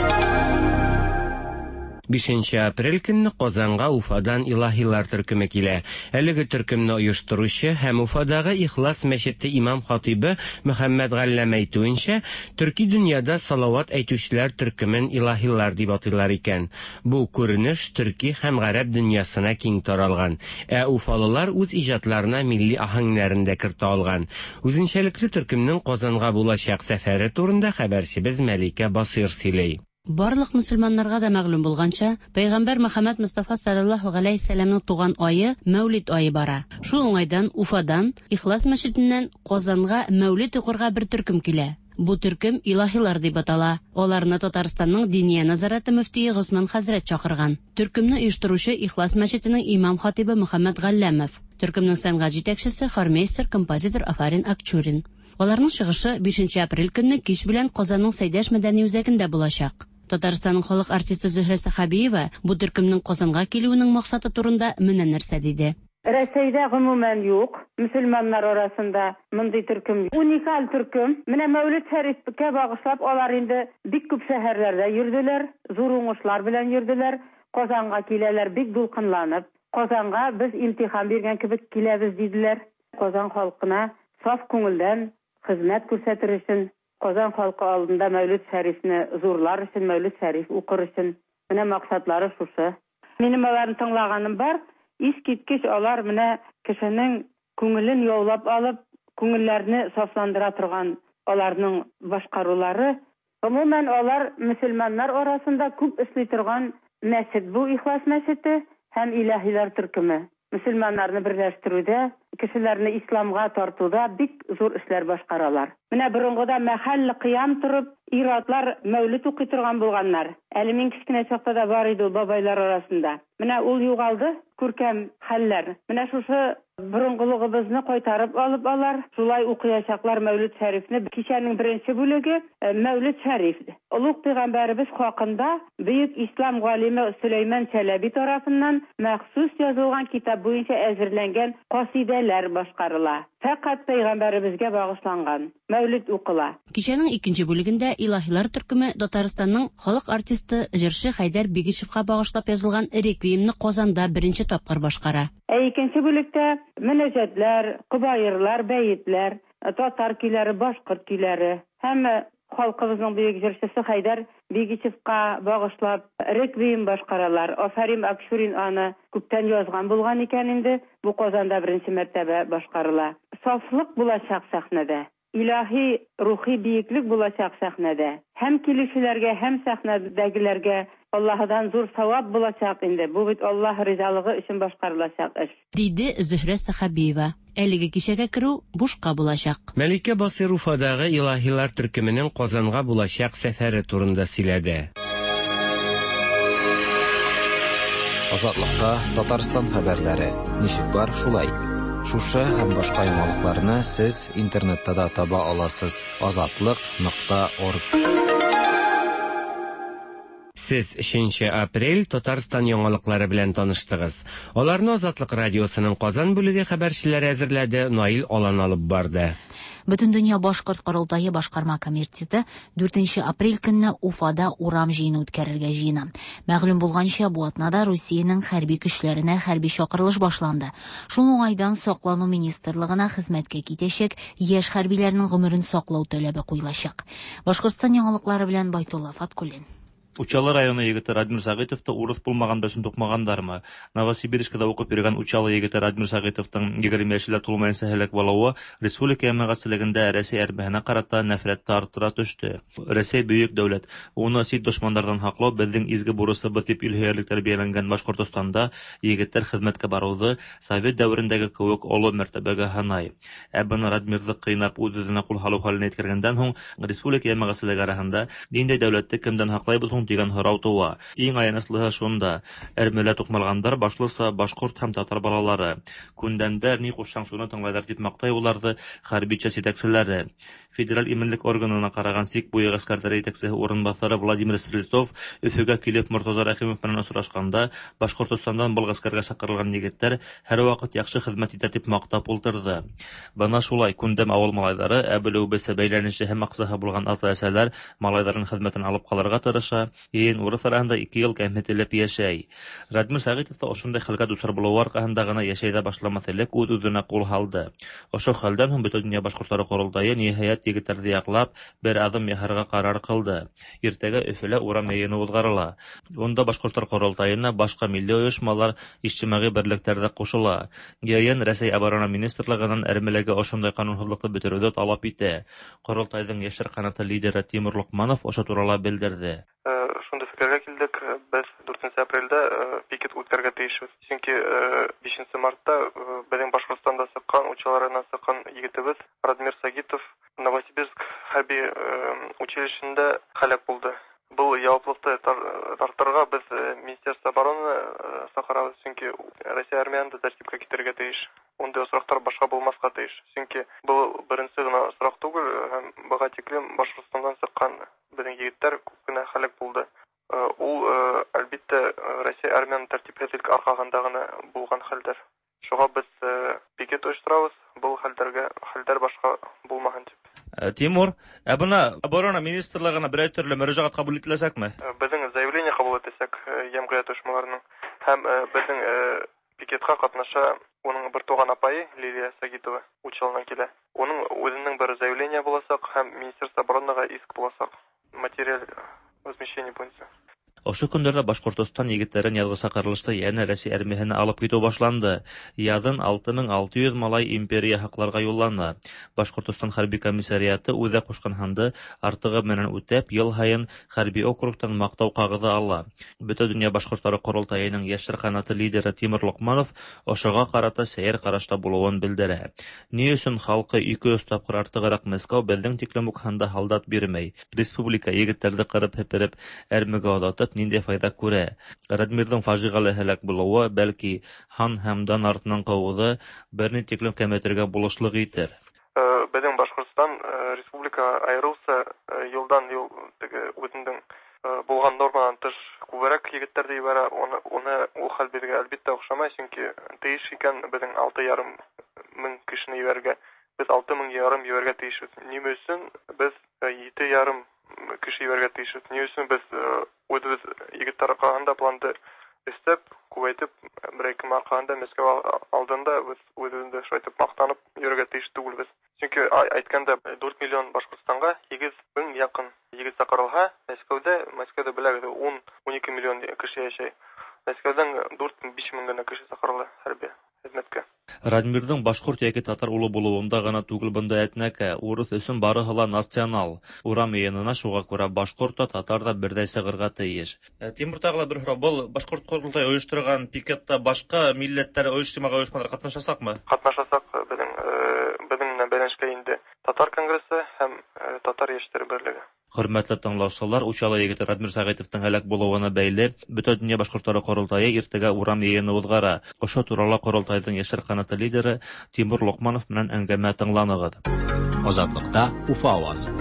Бишенче апрель көнне Казанга Уфадан илаһилар төркеме килә. Әлеге төркемне оештыручы һәм Уфадагы Ихлас мәчете имам хатибы Мөхәммәд Галләм әйтүенчә, төрки дөньяда салават әйтүчеләр төркемен илаһилар дип атыйлар икән. Бу күренеш төрки һәм гарәп дөньясына киң таралган. Ә уфалылар үз иҗатларына милли аһәңнәрен дә кертә алган. Үзенчәлекле төркемнең Казанга булачак сәфәре турында хәбәрчебез Мәликә Басыйр сөйли. Барлык мөселманнарга да мәгълүм булганча, пәйгамбәр Мөхәммәд Мостафа саллаллаһу галәйһи сәламның туган ае Мәүлид ае бара. Шул уңайдан Уфадан Ихлас мәчетеннән Казанга Мәүлид укырга бер төркем килә. Бу төркем Илаһилар дип атала. Аларны Татарстанның Диния нәзарәте мөфтие Госман хәзрәт чакырган. Төркемне оештыручы Ихлас мәчетенең имам хатибы Мөхәммәд Галләмов. Төркемнең сәнгать җитәкчесе хормейстер, композитор Афарин Акчурин. Аларның чыгышы бишенче апрель көнне кич белән Казанның Сәйдәш мәдәни үзәгендә булачак. Татарстанның халык артисты Зөһрә Сәхабиева бу төркемнең Казанга килүенең максаты турында менә нәрсә диде. Рәсәйдә гомумән юк, мөселманнар арасында мондый төркем. Уникаль төркем. Менә Мәүлид Шәрифкә багышлап алар инде бик күп шәһәрләрдә йөрделәр, зур уңышлар белән йөрделәр. Казанга киләләр бик дулкынланып. Казанга без имтихан биргән кебек киләбез диделәр. Казан халкына саф күңелдән хезмәт күрсәтер өчен, Казан халкы алдында Мәүлид Шәрифне зурлар өчен, Мәүлид Шәриф укыр өчен. Менә максатлары шушы. Минем аларны тыңлаганым бар. Искиткеч алар менә кешенең күңелен яулап алып, күңелләрне сафландыра торган аларның башкарулары. Гомумән алар мөселманнар арасында күп эшли торган мәчет бу Ихлас мәчете һәм Илаһилар төркеме. Мөселманнарны берләштерүдә, кешеләрне исламга тартуда бик зур эшләр башкаралар. Менә борынгыда мәхәлле кыям торып, ир-атлар мәүлид укый торган булганнар. Әле мин кечкенә чакта да бар иде ул бабайлар арасында. Менә ул югалды, күркәм хәлләр. Менә шушы борынгылыгыбызны кайтарып алып алар, шулай укыячаклар Мәүлид Шәрифне. Кичәнең беренче бүлеге Мәүлид Шәриф. Олуг пәйгамбәребез хакында бөек ислам галиме Сөләйман Чәләби тарафыннан махсус язылган китап буенча әзерләнгән касидәләр башкарыла. Фәкать пәйгамбәребезгә багышланган Мәүлид укыла. Кичәнең икенче бүлегендә Илаһилар төркеме Татарстанның халык артисты җырчы Хәйдәр Бигичевка багышлап язылган реквиемны Казанда беренче тапкыр башкара. Ә икенче бүлектә мөнәҗәтләр, кобаерлар, бәетләр, татар көйләре, башкорт көйләре һәм халкыбызның бөек җырчысы Хәйдәр Бигичевка багышлап реквием башкаралар. Афарин Акчурин аны күптән язган булган икән инде, бу Казанда беренче мәртәбә башкарыла. Сафлык булачак сәхнәдә. Илаһи рухи биеклек булачак сәхнәдә. Һәм килүчеләргә, һәм сәхнәдәгеләргә Аллаһыдан зур савап булачак инде. Бу бит Аллаһ ризалыгы өчен башкарылачак эш. Диде Зөһрә Сәхабиева. Әлеге кичәгә керү бушка булачак. Мәликә Басир Уфадагы Илаһилар төркеменең Казанга булачак сәфәре турында сөйләде. Азатлыкта Татарстан хәбәрләре. Ничек бар, шулай. Шушы һәм башка яңалыкларны сез интернетта да таба аласыз. азатлык нокта орг. Сез өченче апрель Татарстан яңалыклары белән таныштыгыз. Аларны Азатлык радиосының Казан бүлеге хәбәрчеләре әзерләде, Наил Алан алып барды. Бөтендөнья башкорт корылтае башкарма комитеты дүртенче апрель көнне Уфада урам җыены үткәрергә җыена. Мәгълүм булганча, бу атнада Русиянең хәрби көчләренә хәрби чакырылыш башланды. Шул уңайдан Саклану министрлыгына хезмәткә китәчәк яшь хәрбиләрнең гомерен саклау таләбе куелачак. Башкортстан яңалыклары белән Байтулла Фаткуллин. Учалы районы егете Радмир Сәгыйтовты урыс булмаганда өчен тукмагандармы? Новосибирскида укып йөргән Учалы егете Радмир Сәгыйтовтың егерме яшьлә тулмаенча һәлак булуы республика җәмәгатьчелегендә Рәсәй әрмәһенә карата нәфрәт арттыра төште. Рәсәй бөек дәүләт, уны чит дошмандардан һаклау безнең изге бурысыбыз дип илһөярлек тәрбияләнгән Башкортостанда егетләр хезмәткә баруды совет дәверендәге кебек олы мәртәбәгә һанай. Ә быны Радмирҙы кыйнап үҙ-үҙенә кул һалыу хәленә еткергәндән һуң республика җәмәгатьчелеге араһында ниндәй дәүләтте кемдән һаклайбыз һуң дигән һорау туа. Иң аяныслыһы шунда: әрмелә туҡмалғандар башлыса башҡорт һәм татар балалары. Күндәмдәр ни ҡушһаң шуны тыңлайҙар дип маҡтай уларҙы хәрби часть етәкселәре. Федераль именлек органына ҡараған сик буйы ғәскәрҙәре етәксеһе урынбаҫары Владимир Стрельцов Өфөгә килеп Мортаза Рәхимов менән осрашҡанда Башҡортостандан был ғәскәргә саҡырылған егеттәр һәр ваҡыт яҡшы хеҙмәт итә дип маҡтап ултырҙы. Бына шулай күндәм ауыл малайҙары, ә белеүебеҙсә бәйләнеше һәм аҡсаһы булған ата-әсәләр малайҙарын хеҙмәтен алып ҡалырға тырыша. Йыйын урыҫ араһында ике йыл кәмһетелеп йәшәй. Радмир Сәғитов та ошондай хәлгә дусар булыуы арҡаһында ғына йәшәй ҙә башламаҫ элек үҙ-үҙенә ҡул һалды. Ошо хәлдән һуң Бөтә донъя башҡорттары ҡоролтайы ниһайәт егеттәрҙе яҡлап бер аҙым яһарға ҡарар ҡылды. Иртәгә Өфөлә урам йыйыны уҙғарыла. Унда башҡорттар ҡоролтайына башҡа милли ойошмалар, ижтимағи берлектәр ҙә ҡушыла. Йыйын Рәсәй оборона министрлығынан әрмеләге ошондай ҡанунһыҙлыҡты бөтөрөүҙе талап итә. Ҡоролтайҙың йәштәр ҡанаты лидеры Тимур Лоҡманов ошо турала белдерҙе. үткәрергә тиешбез. Чөнки бишенче мартта безнең Башкортстанда чыккан, Учалы районыннан чыккан егетебез Радмир Сагитов Новосибирск хәрби училищесында һәлак булды. Был яуаплылыкты тартырга без Министерство обороны чакырабыз, чөнки Россия армияны да тәртипкә китерергә тиеш. Ундый очраклар башка булмаска тиеш. Чөнки был беренче генә очрак түгел, һәм быга тиклем Башкортстаннан чыккан безнең егетләр күп кенә һәлак булды. Ул, әлбиттә, Россия армияның тәртипсезлек аркасында гына булган хәлдер. Шуңа без пикет оештырабыз, был хәлдәргә хәлдәр башка булмаһын дип. Тимур, ә бына оборона министрлыгына берәр төрле мөрәҗәгать кабул ителәчәкме? Безнең заявление кабул итәчәк җәмгыять оешмаларының һәм безнең пикетка катнаша уның бер туган апайы Лилия Сагитова Учалынан килә. Уның үзенең бер заявление булачак һәм Министерство оборонага иск булачак материаль возмещение буенча. Ошо көндәрдә Башкортостан егетләрен язгы чакырылышта янә Рәсәй армияһенә алып китү башланды. Язын алты мең алты йөз малай империя һакларга юллана. Башкортостан хәрби комиссариаты үҙе ҡушҡан һанды артығы менән үтәп, йыл һайын хәрби округтан маҡтау ҡағыҙы ала. Бөтә донъя башҡорттары ҡоролтайының йәштәр ҡанаты лидеры Тимур Лоҡманов ошоға ҡарата сәйер ҡарашта булыуын белдерә. Ни өсөн халҡы ике йөҙ тапҡыр артығыраҡ Мәскәү беҙҙең тиклем үк һанда һалдат бирмәй? Республика егеттәрҙе ҡырып һепереп, әрмегә оҙатып, ниндәй файҙа күрә? Радмирҙың фажиғәле һәләк булыуы, бәлки, һан һәм дан артынан ҡыуыуҙы бер ни тиклем кәметергә булышлыҡ итер. Беҙҙең Башҡортостан республика айырыуса йылдан йыл теге үҙенең булған норманан тыш күберәк егеттәрҙе ебәрә. Уны, уны ул хәл беҙгә әлбиттә оҡшамай, сөнки тейеш икән беҙҙең алты ярым мең кешене ебәрергә. Беҙ алты мең ярым ебәрергә тейешбеҙ. Нимә өсөн беҙ ете ярым кеше ебәрергә тейешбеҙ? Ни өсөн беҙ үҙебеҙ егеттәр арҡаһында планды эшләп, күбәйтеп, бер ике арҡаһында Мәскәү алдында беҙ үҙебеҙҙе шулайтып маҡтанып йөрөргә тейеш түгелбеҙ. Сөнки әйткәндә дүрт миллион Башҡортостанға һигеҙ мең яҡын егет саҡырылһа, Мәскәүҙә, Мәскәүҙә беләгеҙ, ун, ун ике миллион кеше йәшәй. Мәскәүҙән дүрт, биш мең генә кеше саҡырыла хәрби хеҙмәткә. Радмирҙың башҡорт йәки татар улы булыуында ғына түгел бында әтнәкә, урыҫ өсөн барыһы ла национал. Урам йыйынына шуға күрә башҡорт та, татар ҙа берҙәй сығырға тейеш. Тимур, тағы ла бер һорау: был башҡорт ҡоролтайы ойошторған пикетта башҡа милләттәр ойошма ойошмалар ҡатнашасаҡмы? Ҡатнашасаҡ. Беҙҙең беҙҙең менән бәйләнешкә инде Татар конгрессы һәм Татар йәштәре берлеге. Хөрмәтле тыңлаусылар, Учалы егете Радмир Сәғитовтың һәләк булыуына бәйле Бөтә донъя башҡорттары ҡоролтайы иртәгә урам йыйыны уҙғара. Ошо турала ҡоролтайҙың йәштәр ҡанаты лидеры Тимур Лоҡманов менән әңгәмә тыңланығыҙ. Азатлыкта Уфа ауазы.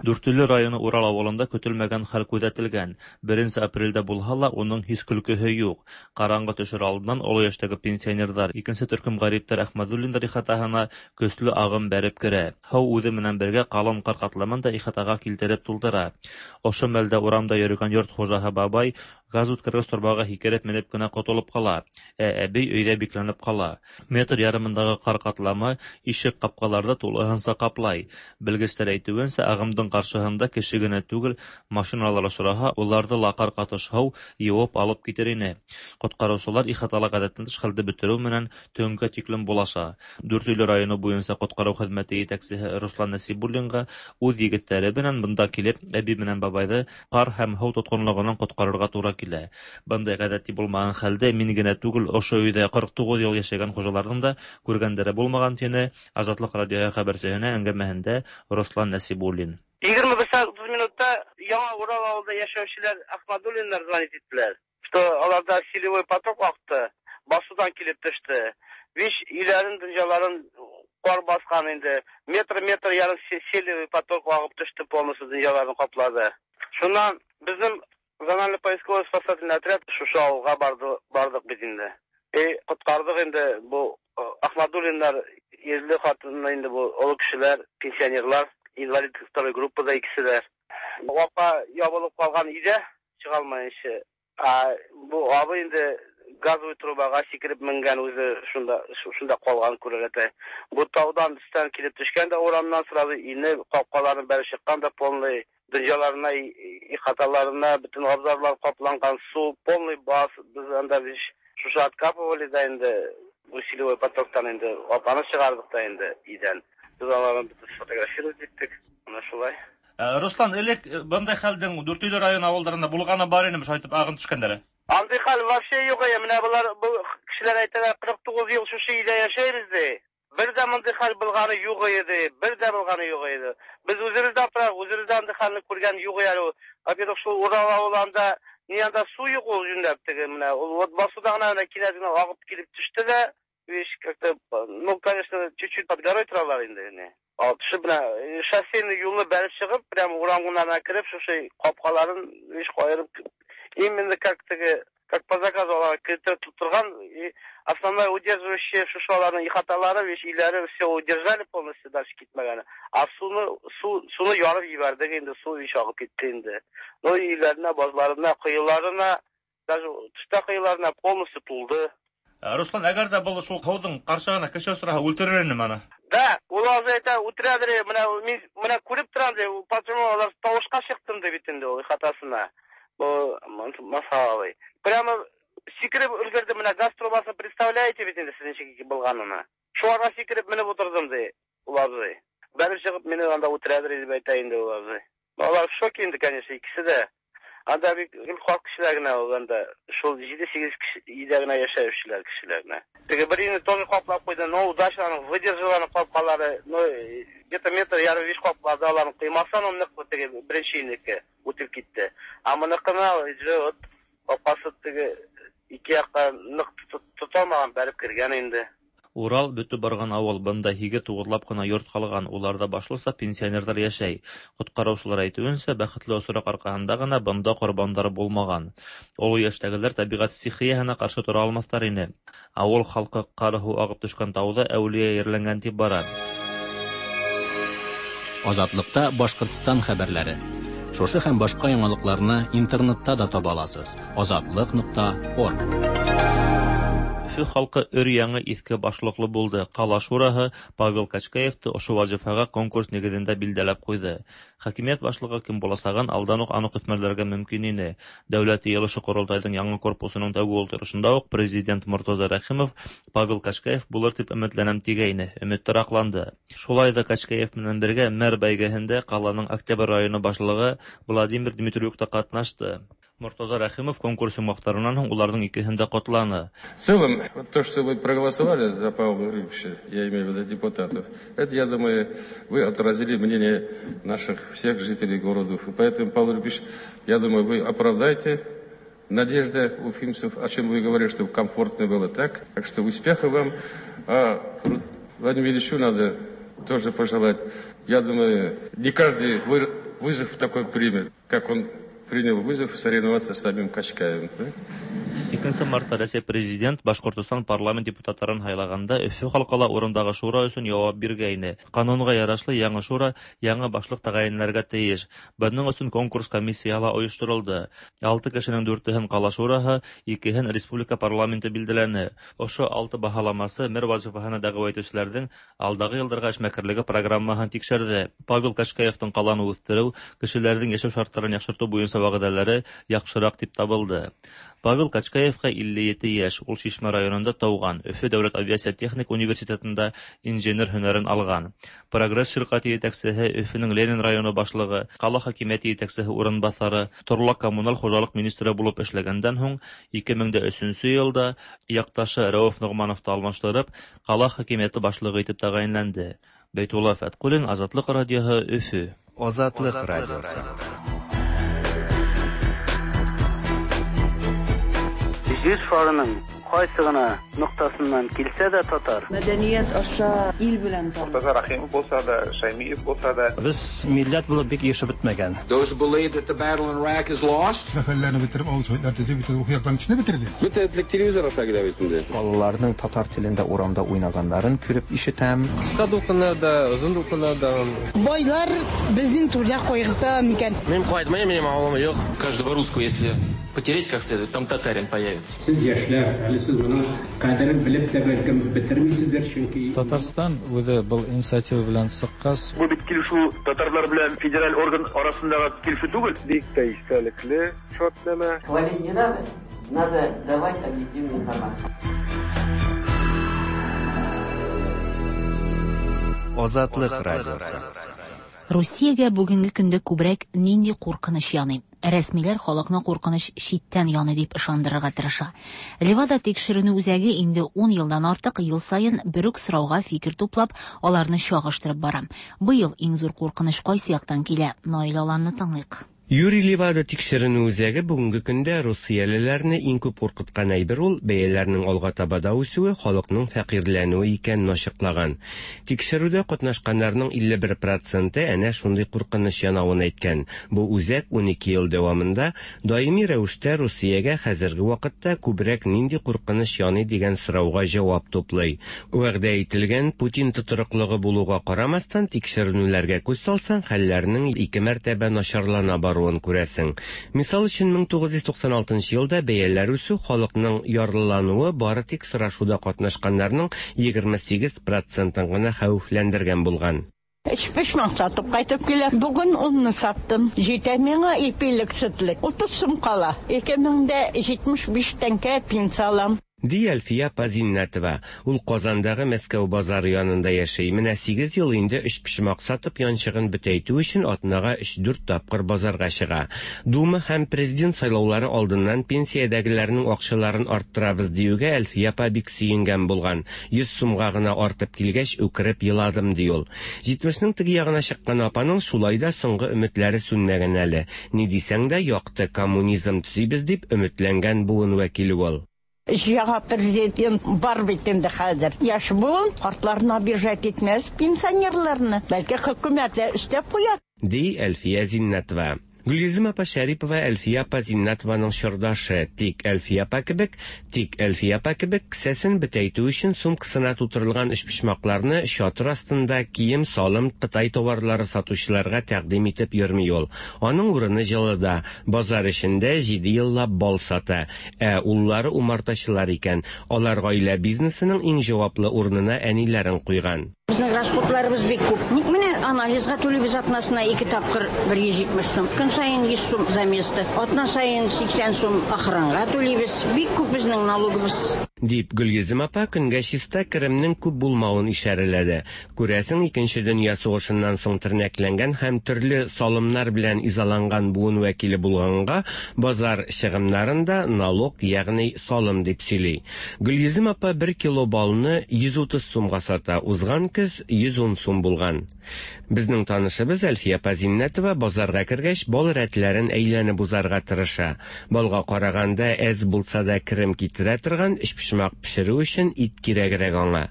Дүртөйлө районы Урал ауылында көтөлмәгән хәл күҙәтелгән. Беренсе апрелдә булһа ла, уның һис көлкөһө юҡ. Ҡараңғы төшөр алдынан оло йәштәге пенсионерҙар, икенсе төркөм ғәриптәр Әхмәҙуллиндар ихатаһына көслө ағым бәреп керә. Һыу үҙе менән бергә ҡалын ҡар ҡатламын да ихатаға килтереп тултыра. Ошо мәлдә урамда йөрөгән йорт хужаһы бабай газ үткәргес торбаға һикереп менеп кенә ҡотолоп ҡала, ә әбей өйҙә бикләнеп ҡала. Метр ярымындағы ҡар ҡатламы ишек ҡапҡаларҙы тулыһынса ҡаплай. Белгестәр әйтеүенсә, ағымдың ҡаршыһында кеше генә түгел, машиналар осраһа, уларҙы ла ҡар ҡатыш һыу йыуып алып китер ине. Ҡотҡарыусылар ихатала ғәҙәттән тыш хәлде бөтөрөү менән төнгә тиклем булаша. Дүртөйлө районы буйынса ҡотҡарыу хеҙмәте етәксеһе Руслан Нәсибуллинға үҙ егеттәре менән бында килеп, әбей менән бабайҙы ҡар һәм һыу тотҡонлоғонан ҡотҡарырға тура килә. Бындай ғәҙәти булмаған хәлде мин генә түгел, ошо өйҙә ҡырҡ туғыҙ йыл йәшәгән хужаларҙың да күргәндәре булмаған, тине Азатлыҡ радиоһы хәбәрсеһенә әңгәмәһендә Руслан Нәсибуллин. Егерме бер сәғәт утыҙ минутта Яңа Урал ауылында йәшәүселәр Ахмадуллиндар звонить иттеләр, что аларҙа селевой поток аҡты, басыуҙан килеп төштө. Биш өйләрен, донъяларын ҡар баҫҡан инде. Метр-метр ярым селевой поток ағып төштө, полностью донъяларын ҡаплады. Шунан беҙҙең зональный поисковый спасательный отряд шушы ауылға барҙы, барҙыҡ бит инде. И ҡотҡарҙыҡ инде был Ахмадуллиндар ирле ҡатыны инде был оло кешеләр, пенсионерлар, инвалид второй группада икесе дә. Апа ябылып ҡалған өйҙә, сыға алмайынса. А бу абый инде газовый трубаға сикереп менгән, үҙе шунда шунда ҡалған күрәләтә. Бу тауҙан өҫтән килеп төшкән дә урамнан сразу инеп, ҡапҡаларын бәреп сыҡҡан да полный донъяларына, ихаталарына бөтөн абзарлар ҡапланған, сыу полный бас. Беҙ анда шушы откапывали да инде усилевой потоктан инде апаны сығарҙыҡ та инде өйҙән. Беҙ аларны бөтөн сфотографировать иттек. Мына шулай. Руслан, элек бындай хәлдең Дүртөйлө районы ауылдарында булғаны бар инеме, шулайтып ағым төшкәндәре? Андый хәл вообще юк. Менә болар бу кешеләр әйтәләр, кырык тугыз ел шушы өйдә яшәйбез ди. Бер дә мондый хәл булганы юк иде, бер дә булганы юк иде. Без үзебез дә аптырап, үзебез дә андый хәлне күргән юк әле. Во-первых, шул Урал авылында ни анда су юк ул юньләп теге менә. Ул вот басуда гына менә кинәт генә агып килеп төште дә, вещь как-то, ну, конечно, чуть-чуть под горой торалар инде. Не. Ал төшеп менә шоссейный юлны бәреп чыгып, прямо урамга кереп, шушы капкаларын вещь каерып, именно как теге, как по заказу алар кертеп торган, и основная удерживающая шушы аларның ихаталары, вещь өйләре все удержали полностью, дальше китмәгәне. А суны, су, суны ярып җибәрдек инде, су вещь агып китте инде. Ну, өйләренә, базларына, коеларына, даже тышта коеларына полностью тулды. Руслан, әгәр дә был шул һыуҙың ҡаршыһына кеше осраһа, үлтерер инем аны. Да, ул азы әйтә, үтерәдер, менә мин менә күреп торам ди, почему алар тавышка чыктым ди бит инде ул ихатасына. Бу масалай. Прямо сикереп өлгерде, менә газ трубасын представляете бит инде сез ничек булганын. Шуңа сикереп менеп утырдым ди ул абзый. Бәреп чыгып мине анда үтерәдер дип әйтә инде ул абзый. Алар в шоке инде, конечно, икесе дә. Анда бик гел халык кешеләр генә ул анда шул җиде-сигез кеше өйдә генә яшәүчеләр кешеләр генә. Теге бер өйне тоже каплап куйды, но удачно аның выдержала аның капкалары, но где-то метр ярым биш каплады, аларны кыймасан ул нык теге беренче өйнеке үтеп китте. А моныкына уже вот капкасы теге ике якка нык тоталмаган, бәреп кергән инде. Урал бөтө барган авыл, бында һиге туғыҙлап ҡына йорт ҡалған, уларҙа башлыса пенсионерҙар йәшәй. Ҡотҡарыусылар әйтеүенсә, бәхетле осраҡ арҡаһында ғына бында ҡорбандар булмаған. Оло йәштәгеләр тәбиғәт стихияһына ҡаршы тора алмаҫтар ине. Ауыл халҡы ҡар һыу ағып төшкән тауҙа әүлиә ерләнгән тип бара. Азатлыкта Башҡортостан хәбәрләре. Шушы һәм башҡа яңалыҡларны интернетта да таба аласыз. Азатлык нуҡта орг. Өфө халҡы өр-яңы иҫке башлыҡлы булды. Ҡала шураһы Павел Качкаевты ошо вазифаға конкурс нигеҙендә билдәләп ҡуйҙы. Хакимиәт башлығы кем буласағын алдан уҡ аныҡ өҫмәләргә мөмкин ине. Дәүләт йыйылышы ҡоролтайҙың яңы корпусының тәүге ултырышында уҡ президент Мортаза Рәхимов Павел Качкаев булыр тип өмөтләнәм тигәйне. Өмөттәр аҡланды. Шулай ҙа Качкаев менән бергә мэр бәйгеһендә ҡаланың Октябрь районы башлығы Владимир Дмитриюк та ҡатнашты. Мортаза Рәхимов конкурс йомғаҡтарынан һуң уларҙың икеһен дә ҡотланы. В целом, вот то, что вы проголосовали за Павла Григорьевича, я имею в виду депутатов, это, я думаю, вы отразили мнение наших всех жителей города Уфы. Поэтому, Павел Григорьевич, я думаю, вы оправдаете надежды уфимцев, о чем вы говорили, чтобы комфортно было так. Так что успеха вам. А Владимиру Ильичу надо тоже пожелать. Я думаю, не каждый вызов такой примет, как он принял вызов соревноваться с самим Качкаевым. Да? Икенсе мартта Рәсәй президент Башҡортостан парламент депутаттарын һайлағанда Өфө халҡы ла урындағы шура өсөн яуап биргәйне. Ҡанунға ярашлы яңы шура яңы башлыҡ тәғәйенләргә тейеш. Бының өсөн конкурс комиссияһы ла ойошторолдо. Алты кешенең дүртеһен ҡала шураһы, икеһен республика парламенты билдәләне. Ошо алты баһаламасы мэр вазифаһына дәғүә итеүселәрҙең алдағы йылдарға эшмәкәрлеге программаһын тикшерҙе. Павел Качкаевтың ҡаланы үҫтереү, кешеләрҙең йәшәү шарттарын яҡшыртыу буйынса вәғәҙәләре яҡшыраҡ тип табылды. Павел Качкаевҡа илле ете йәш, ул Шишмә районында тыуған, Өфө дәүләт авиация техник университетында инженер һөнәрен алған. Прогресс ширҡәте етәксеһе, Өфөнөң Ленин районы башлығы, ҡала хакимиәте етәксеһе урынбаҫары, торлаҡ коммуналь хужалыҡ министры булып эшләгәндән һуң ике мең дә өсөнсө йылда яҡташы Рәүеф Ноғмановты алмаштырып, ҡала хакимиәте башлығы итеп тәғәйенләнде. Бәйтулла Фәтҡуллин, Азатлыҡ радиоһы, Өфө. Азатлыҡ радиоһы. Җир шарының кайсы гына ноктасыннан килсә дә татар. Мәдәният аша ил белән танып. Мортаза Рәхимов булса да, Шаймиев булса да. Без милләт булып бик ешеп бетмәгән. Those who believe that the battle in Iraq is lost. Сәфәрләрне бетереп, авыл советлар төзеп, бөтен рухи яктан кешене бетерде. Бөтен этлек телевизор аша килә бит инде. Балаларның татар телендә урамда уйнаганнарын күреп ишетәм. Кыска дулкыннарда, озын дулкыннарда. Байлар безнең түрдә кайгырта микән? Мин кайтмыйм, минем авылым юк. Каждого русского, если потереть как следует, там татарин появится. Сез яшьләр, әле сез моның кадерен белеп тә бәлкем бетермисездер, чөнки Татарстан үзе был инициатива белән чыккач, бу бит килешү татарлар белән федераль орган арасындагы килешү түгел. Бик тә истәлекле шартнамә. Хвалить не надо, надо давать объективную информацию. Азатлык радиосы. Русиягә бүгенге көндә күбрәк нинди куркыныч яный? Рәсмиләр халыкны куркыныч читтән яный дип ышандырырга тырыша. Левада тикшеренү үзәге инде ун елдан артык ел саен бер үк сорауга фикер туплап, аларны чагыштырып бара. Быел иң зур куркыныч кайсы яктан килә? Наил Аланны тыңлыйк. Юрий Левада тикшеренү үзәге бүгенге көндә русиялеләрне иң күп куркыткан әйбер ул бәяләрнең алга таба да үсүе, халыкның фәкыйрьләнүе икәнен ачыклаган. Тикшерүдә катнашканнарның илле бер проценты әнә шундый куркыныч янавын әйткән. Бу үзәк унике ел дәвамында даими рәвештә Русиягә хәзерге вакытта күбрәк нинди куркыныч яный дигән сорауга җавап туплый. Вәгъдә ителгән Путин тотрыклыгы булуга карамастан, тикшеренүләргә күз салсаң, хәлләрнең ике мәртәбә начарлана баруы күрәсең. Мисал өчен, мең тугыз йөз туксан алтынчы елда бәяләр үсү, халыкның ярлылануы бары тик сорашуда катнашканнарның егерме сигез процентын гына хәвефләндергән булган. Өчпочмак сатып кайтып килә. Бүген унны саттым. Җитә миңа ипилек, сөтлек. Утыз сум кала. Ике мең дә җитмеш биш тәңкә пенсия алам. Ди Әлфия апа Зиннәтова. Ул Казандагы Мәскәү базары янында яши. Менә сигез ел инде өчпочмак сатып янчыгын бөтәйтү өчен атнага өч-дүрт тапкыр базарга чыга. Дума һәм президент сайлаулары алдыннан пенсиядәгеләрнең акчаларын арттырабыз диюгә Әлфия апа бик сөенгән булган. Йөз сумга гына артып килгәч, үкереп еладым, ди ул. Җитмешнең теге ягына чыккан апаның шулай да соңгы өметләре сүнмәгән әле. Ни дисәң дә, якты коммунизм төзибез дип өметләнгән буын вәкиле ул. Яңа президент бар бит инде хәзер. Яшь буын картларны обижать итмәс, пенсионерларны. Бәлки хөкүмәт тә өстәп куяр. Ди Әлфия Зиннәтова. Гөлйөзем апа Шәрипова Әлфия апа Зиннәтованың чордашы. Тик Әлфия апа кебек, тик Әлфия апа кебек кесәсен бөтәйтү өчен сумкасына тутырылган өчпочмакларны чатыр астында кием-салым, Кытай товарлары сатучыларга тәкъдим итеп йөрми ул. Аның урыны җылыда, базар эчендә җиде еллап бал сата. Ә уллары умартачылар икән. Алар гаилә бизнесының иң җаваплы урынына әниләрен куйган. Безнең расходларыбыз бик күп. Ник менә анализга түлибез атнасына ике тапкыр бер йөз җитмеш сум. Көн саен йөз сум за место. Атна саен сиксән сум охранга түлибез. Бик күп безнең налогыбыз. Дип Гөлйөзем апа көнгә чиста керемнең күп булмавын ишарәләде. Күрәсең, икенче дөнья сугышыннан соң тернәкләнгән һәм төрле салымнар белән изаланган буын вәкиле булганга базар чыгымнарын да налог, ягъни салым дип сөйли. Гөлйөзем апа бер кило балны йөз утыз сумга сата, узган көз йөз ун сум булган. Безнең танышыбыз Әлфия апа Зиннәтова базарга кергәч бал рәтләрен әйләнеп узарга тырыша. Балга караганда әз булса да керем китерә торган өчпочмак пешерү өчен ит кирәгрәк аңа.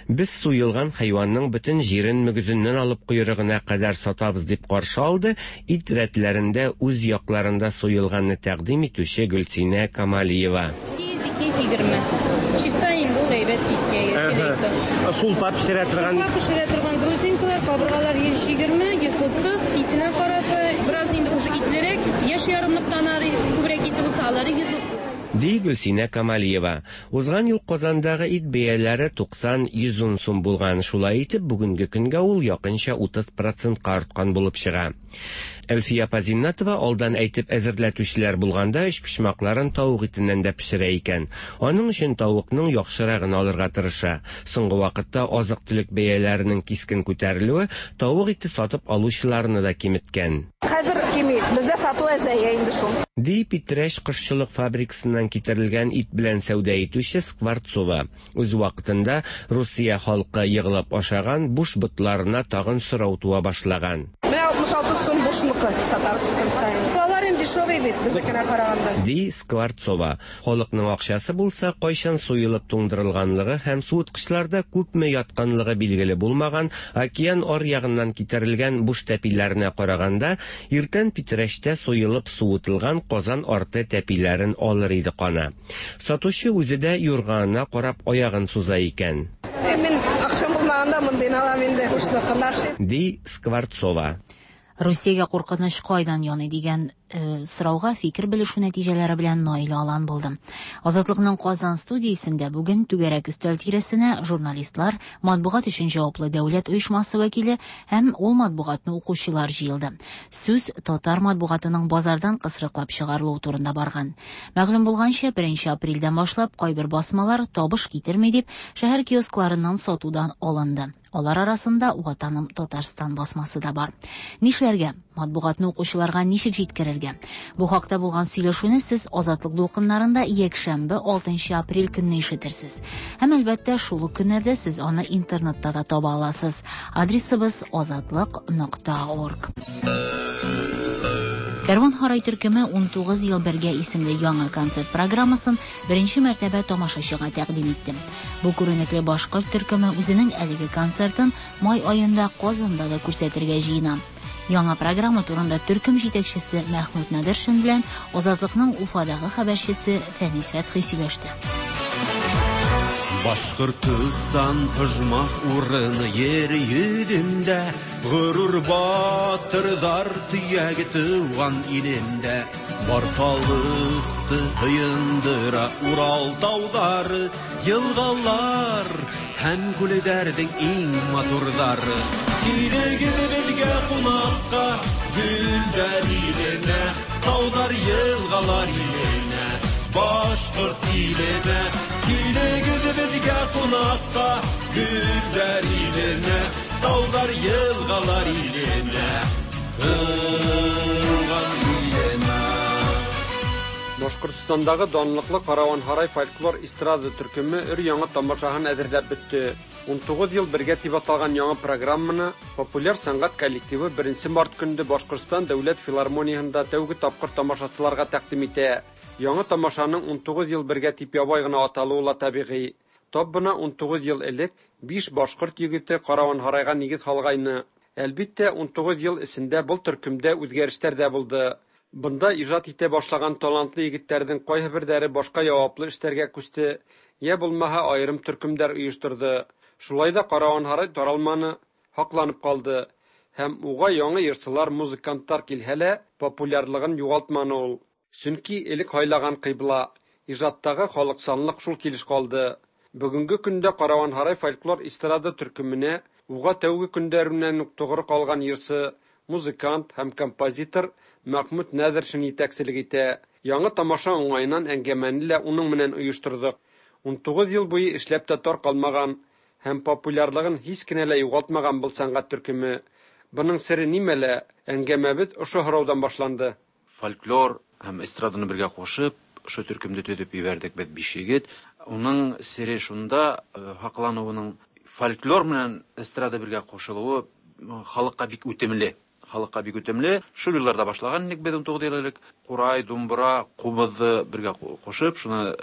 Без суелган хайванның бөтен җирен мөгезеннән алып койрыгына кадәр сатабыз дип каршы алды ит рәтләрендә үз якларында суелганны тәкъдим итүче Гөлсинә Камалиева. ике йөз егерме. Чиста инде ул әйбәт иткә кирәк. Сулпа пешерә торган. Сулпа пешерә торган грузинкалар, кабыргалар йөз егерме, йөз утыз, итенә карата бераз инде уже итлерәк, яшь ярымлыктан ары күбрәк ите булса, алары йөз утыз. Ди Гөлсинә Камалиева. Узган ел Казандагы ит бәяләре туксан йөз ун сум булган. Шулай итеп, бүгенге көнгә ул якынча утыз процентка арткан булып чыга. Әлфия апа Зиннәтова алдан әйтеп әзерләтүчеләр булганда өчпочмакларын тавык итеннән дә пешерә икән. Аның өчен тавыкның яхшырагын алырга тырыша. Соңгы вакытта азык-төлек бәяләренең кискен күтәрелүе тавык ите сатып алучыларны да киметкән. Хәзер кими, бездә сату әзәя инде шул. Ди Питрәч кошчылык фабрикасыннан китерелгән ит белән сәүдә итүче Скворцова. Үз вакытында Русия халкы йыгылып ашаган буш ботларына тагын сорау туа башлаган. Менә алтмыш алты сум бушныкы сатарбыз көн саен. Алар инде дешевый бит безнекенә караганда. Ди Скворцова. Халыкның акчасы булса, кайчан суелып туңдырылганлыгы һәм суыткычларда күпме ятканлыгы билгеле булмаган океан ар ягыннан китерелгән буш тәпиләренә караганда, иртән Питрәчтә суелып суытылган Казан арты тәпиләрен алыр иде кана. Сатучы үзе дә юрганына карап аягын суза икән. Мин акчам булмаганда мондыйны алам инде, бушныкын. Ди Скворцова. Русиягә куркыныч кайдан яный дигән э, сорауга фикер белешү нәтиҗәләре белән Наил Алан булды. Азатлыкның Казан студиясендә бүген түгәрәк өстәл тирәсенә журналистлар, матбугат өчен җаваплы дәүләт оешмасы вәкиле һәм ул матбугатны укучылар җыелды. Сүз татар матбугатының базардан кысрыклап чыгарылуы турында барган. Мәгълүм булганча, беренче апрельдән башлап кайбер басмалар табыш китерми дип шәһәр киоскларыннан сатудан алынды. Алар арасында Ватаным Татарстан басмасы да бар. Нишләргә? Матбугатны укучыларга ничек җиткерергә? Бу хакта булган сөйләшүне сез Азатлык дулкыннарында якшәмбе алтынчы апрель көнне ишетерсез. Һәм әлбәттә шул ук көннәрдә сез аны интернетта да таба аласыз. Адресыбыз азатлык нокта орг. Кәрван Һарай төркеме унтугыз ел бергә исемле яңа концерт программасын беренче мәртәбә тамашачыга тәкъдим итте. Бу күренекле башкорт төркеме үзенең әлеге концертын май аенда Казанда да күрсәтергә җыена. Яңа программа турында төркем җитәкчесе Мәхмүт Нәдершин белән Азатлыкның Уфадагы хәбәрчесе Фәнис Фәтхи сөйләште. Башкортостан тожмах урыны ер йөзендә, горур батырдар төяге туган илендә. Бар халыкты һыендыра Урал таулары, елгалар һәм күлләрнең иң матурлары. Килегез безгә кунакка, гөлләр иленә, таулар, елгалар иленә, Башкорт иленә. Килегез безгә кунакка, гөлләр иленә, таулар, елгалар иленә, туган иленә. Башкортстандагы данлыклы Караван Һарай фольклор эстрада төркеме өр яңа тамашаһын әзерләп бетте. Унтугыз ел бергә дип аталган яңа программаны популяр сәнгать коллективы беренче март көнендә Башкортстан дәүләт филармонияһында тәүге тапкыр тамашачыларга тәкъдим итә. Яңа тамашаның унтугыз ел бергә дип ябай гына аталуы ла табигый. Тап бына унтугыз ел элек биш башкорт егете Караван Һарайга нигез салгайны. Әлбиттә, унтугыз ел эчендә был төркемдә үзгәрешләр дә булды. Бында ижат итә башлаган талантлы егетләрнең кайһы башка яваплы эшләргә күчте, я булмаһа аерым төркемдәр оештырды. Шулай да Караван Һарай таралманы, һакланып калды. Һәм уга яңа йырчылар, музыкантлар килһә лә, популярлыгын югалтманы ул. Чөнки элек һайлаган кыйбла, ижаттагы халыкчанлык шул килеш калды. Бүгенге көндә Караван Һарай фольклор эстрада төркеменә уга тәүге көндәреннән үк тугры калган йырчы, музыкант һәм композитор Мәхмүт Нәдершин җитәкчелек итә. Яңа тамаша уңаеннан әңгәмәне лә уның менән оештырдык. Унтугыз ел буе эшләп тә тар калмаган һәм популярлыгын һич кенә лә югалтмаган был сәнгать төркеме. Буның сере нимәлә? Әңгәмәбез ошо һораудан башланды. Фольклор һәм эстраданы бергә кушып, ошо төркемдә төзеп җибәрдек без биш егет. Уның сере шунда, һаклануының фольклор менән эстрада бергә кушылуы халыкка бик үтемле. Халыкка бик үтемле. Шул елларда башлаган идек без унтугыз ел элек. Курай, думбра, кубызды бергә кушып, шуны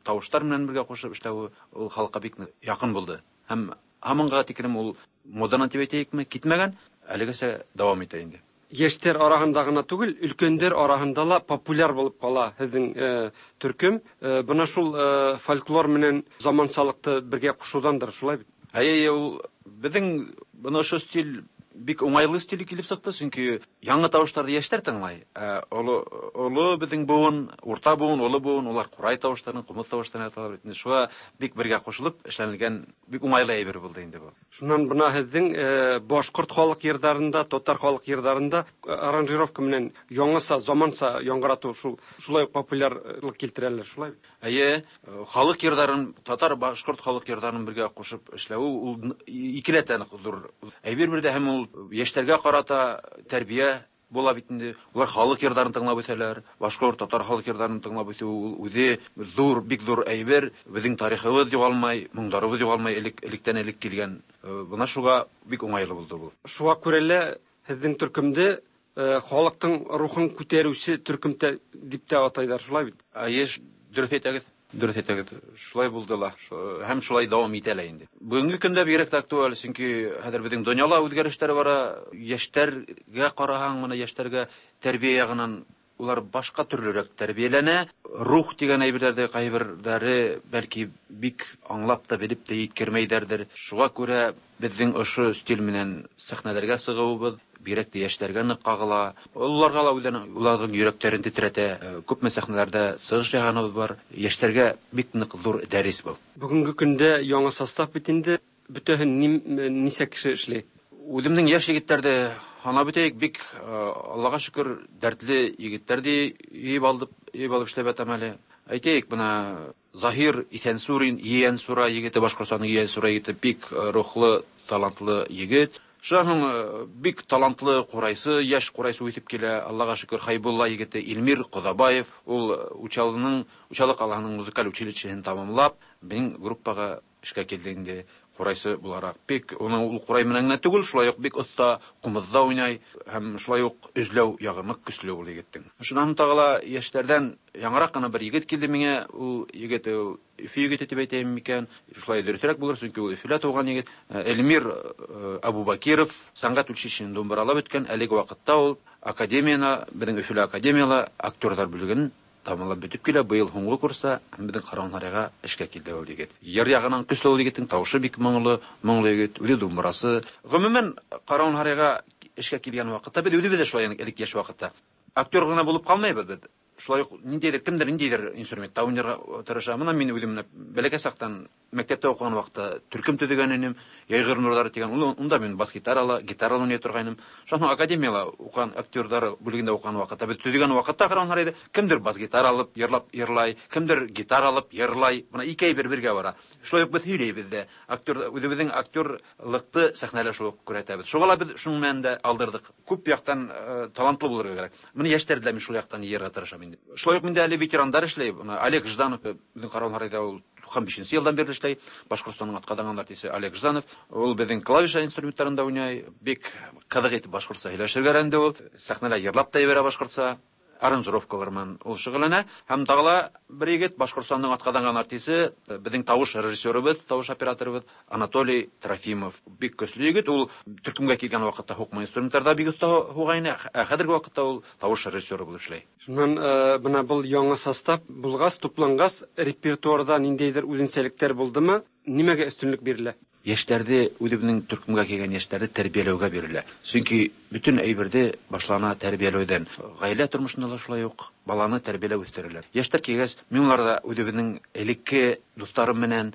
тавышлар менән бергә кушып эшләү ул халыкка бик якын булды. Һәм һаманга тиклем ул модадан дип әйтәйекме, китмәгән, әлегәчә дәвам итә инде. Яшьләр арасында гына түгел, өлкәннәр арасында ла популяр булып кала һеҙҙең э, төркем. Э, бына шул э, фольклор менән замансалыкты бергә кушыуҙандыр, шулай бит? Әйе, ул беҙҙең бына ошо стиль бик уңайлы стиль килеп сыҡты, сөнки яңы тауыштарҙы йәштәр тыңлай. Ә оло, оло беҙҙең быуын, урта быуын, оло быуын, улар ҡурай тауыштарын, ҡумыҙ тауыштарын яталар бит. Шуға бик бергә ҡушылып эшләнелгән бик уңайлы әйбер булды инде был. Шунан бына һеҙҙең э, башҡорт халыҡ йырҙарында, татар халыҡ йырҙарында аранжировка менән яңыса, заманса яңғыратыу шул шулай уҡ популярлыҡ килтерәләр, шулай бит? Әйе, халыҡ йырҙарын, татар, башҡорт халыҡ йырҙарын бергә ҡушып эшләү ул икеләтә ҙур әйбер бер дә, һәм ул йәштәргә ҡарата тәрбиә була бит инде. Улар халыҡ йырҙарын тыңлап үҫәләр, башҡорт, татар халыҡ йырҙарын тыңлап үҫеү ул үҙе ҙур, бик ҙур әйбер. Беҙҙең тарихыбыҙ юғалмай, моңдарыбыҙ юғалмай, элек, электән элек килгән. Бына шуға бик уңайлы булды был. Шуға күрә лә һеҙҙең төркөмдө халыҡтың рухын күтәреүсе төркөм дип тә атайҙар, шулай бит? Әйе, дөрөҫ әйтәгеҙ. Дөрөҫ әйтәгеҙ. Шулай булды ла, һәм шулай дауам итә лә инде. Бөгөнгө көндә бигерәк тә актуаль, сөнки хәҙер беҙҙең донъяла үҙгәрештәр бара. Йәштәргә ҡараһаң, бына йәштәргә тәрбиә яғынан улар башҡа төрлөрәк тәрбиәләнә. Рух тигән әйберҙәрҙе ҡайберҙәре бәлки бик аңлап та белеп тә еткермәйҙәрҙер. Шуға күрә беҙҙең ошо стиль менән сәхнәләргә сығыуыбыҙ бигерәк тә йәштәргә ныҡ ҡағыла. Уларға ла үҙҙәрен, уларҙың йөрәктәрен тетрәтә. Күпме сәхнәләрҙә сығыш яһағаныбыҙ бар. Йәштәргә бик ныҡ ҙур дәрес был. Бөгөнгө көндә яңы состав бит инде. Бөтәһен нисә кеше эшләй? Үҙемдең йәш егеттәрҙе һанап үтәйек, бик Аллаға шөкөр дәртле егеттәрҙе йыйып алып, йыйып алып эшләп ятам әле. Әйтәйек, бына Заһир Иҫәнсурин, Ейәнсура егете, Башҡортостандың Ейәнсура егете, бик рухлы, талантлы егет. Шуннан соң бик талантлы курайсы, яшь курайсы үтеп килә, Аллага шөкер, Хайбулла егете Илмир Кодабаев, ул Учалының, Учалы калаһының музыкаль училищесын тамамлап, безнең группага эшкә килде инде курайсы буларак. Бик уның ул курай менән генә түгел, шулай ук бик оста кумызда уйнай һәм шулай ук өзләү ягы нык көчле ул егеттең. Шуннан тагы ла яшьләрдән яңарак кына бер егет килде миңа, ул егет ул Өфө егете дип әйтәйем микән? Шулай дөресрәк булыр, чөнки ул Өфөлә туган егет. Эльмир Абубакиров сәнгать училищесын думбыралап үткән, әлеге вакытта ул академияна, безнең Өфөлә академияла актерлар бүлеген тамамлап бетеп килә. Быел һуңгы курста безнең Каравон-Һарайга эшкә килде ул егет. Йыр ягынан көчле ул егетнең, тавышы бик моңлы, моңлы егет, үзе думбырасы. Гомумән, Каравон-Һарайга эшкә килгән вакытта без үзебез дә шулай элек яшь вакытта актер гына булып калмыйбыз без. Шулай ук ниндидер кемдер ниндидер инструментта уйнарга тырыша. Мына мин үзем бәләкәй чактан мәктәптә укыган вакытта төркем төзегән идем, Яйгыр нурлары дигән. Унда мин бас гитарала, гитарала уйный торган идем. Шуннан академияла укыган актерлар бүлегендә укыган вакытта без төзегән вакытта караңлар иде. Кемдер бас гитара алып йырлап йырлай, кемдер гитара алып йырлай. Мына ике әйбер бергә бара. Шулай ук без һөйләйбез дә. Актер үзебезнең актерлыкты сәхнәлә шулай ук күрәтәбез. Шуңа ла без шуның белән дә алдырдык. Күп яктан талантлы булырга кирәк. Моны яшьләрдә мин шул яктан йырга тырышам инде. Шулай ук миндә әле ветерандар эшләй. Олег Жданов безнең Каравон-Һарайда ул туксан бишенче елдан бирле эшләй. Башкортстанның атказанган артисты Олег Жданов. Ул безнең клавиша инструментларында уйнай. Бик кызык итеп башкортча һөйләшергә өйрәнде ул. Сәхнәдә йырлап та җибәрә башкортча. Аранжировкалар менән ул шөгыльләнә. Һәм тагы ла бер егет Башкортстанның атказанган артисты, безнең тавыш режиссерыбыз, тавыш операторыбыз Анатолий Трофимов. Бик көчле егет. Ул төркемгә килгән вакытта һукма инструментларда бик оста һуга ине. Ә хәзерге вакытта ул тавыш режиссеры булып эшләй. Шуннан менә был яңа состав булгач, туплангач, репертуарда ниндәйдер үзенчәлекләр булдымы? Нимәгә өстенлек бирелә? Яшьләрде, үзебезнең төркемгә килгән яшьләрде тәрбияләүгә бирелә. Чөнки бөтен әйберде башлана тәрбияләүдән. Гаилә тормышында да шулай ук баланы тәрбияләү үстерәләр. Яшьләр килгәч, мин уларда үзебезнең элекке дусларым менән,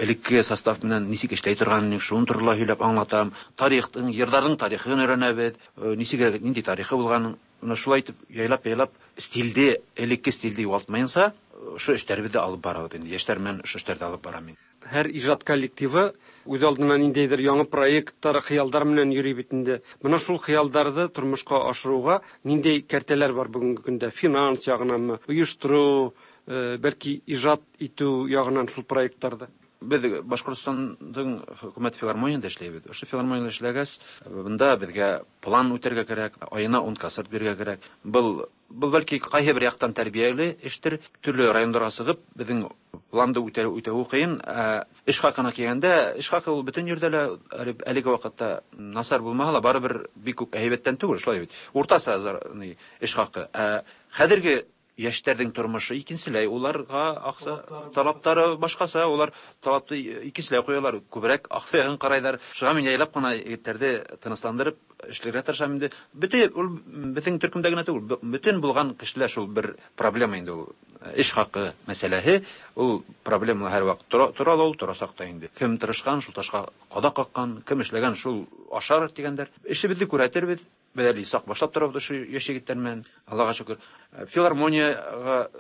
элекке состав менән ничек эшләй торганын, шуны турында һөйләп аңлатам. Тарихның, йырларның тарихын өйрәнәбез, ничек, нинди тарихы булганын. Менә шулай итеп яйлап-яйлап стилде, элекке стилде югалтмаенча, ошо эшләребезне алып барабыз инде. Яшьләр менән ошо эшләрде алып барам мин. Һәр ижат коллективы үз алдына ниндәйдер яңа проектлар, хыялдар менән йөри бит инде. Менә шул хыялдарны тормышка ашыруга ниндәй кәртәләр бар бүгенге көндә? Финанс ягынанмы, оештыру, бәлки ижат итү ягынан шул проектларда? Без Башкортстанның хөкүмәт филармонияндә эшләйбез. Ошо филармониядә эшләгәч, бында безгә план үтәргә кирәк, аена ун концерт бирергә кирәк. Был был бәлки кайһы бер яктан тәрбияле эштер. Төрле районнарга чыгып, безнең планды үтәү үтәү кыен. Эш хакына килгәндә, эш хакы ул бөтен җирдә лә әлеге вакытта насар булмаһа ла, барыбер бик үк әйбәттән түгел, шулай бит. Уртача эш хакы. Ә хәзерге яшьләрнең тормышы икенчеләй, уларга акча талаплары башкача, улар талапты икенчеләй куялар, күбрәк акча ягын карайлар. Шуңа мин яйлап кына егетләрне тынычландырып эшләргә тырышам инде. Бөтен ул бөтен төркемдә генә түгел, бөтен булган кешеләр шул бер проблема инде ул. Эш хакы мәсьәләһе, ул проблема һәрвакыт тора, тора ла ул, торасак та инде. Кем тырышкан, шул ташка кадак каккан, кем эшләгән, шул ашар дигәндәр. Эшебезне күрәтербез. Без әле сак башлап торабыз ошо яшь егетләр менән. Аллага шөкер. Филармонияга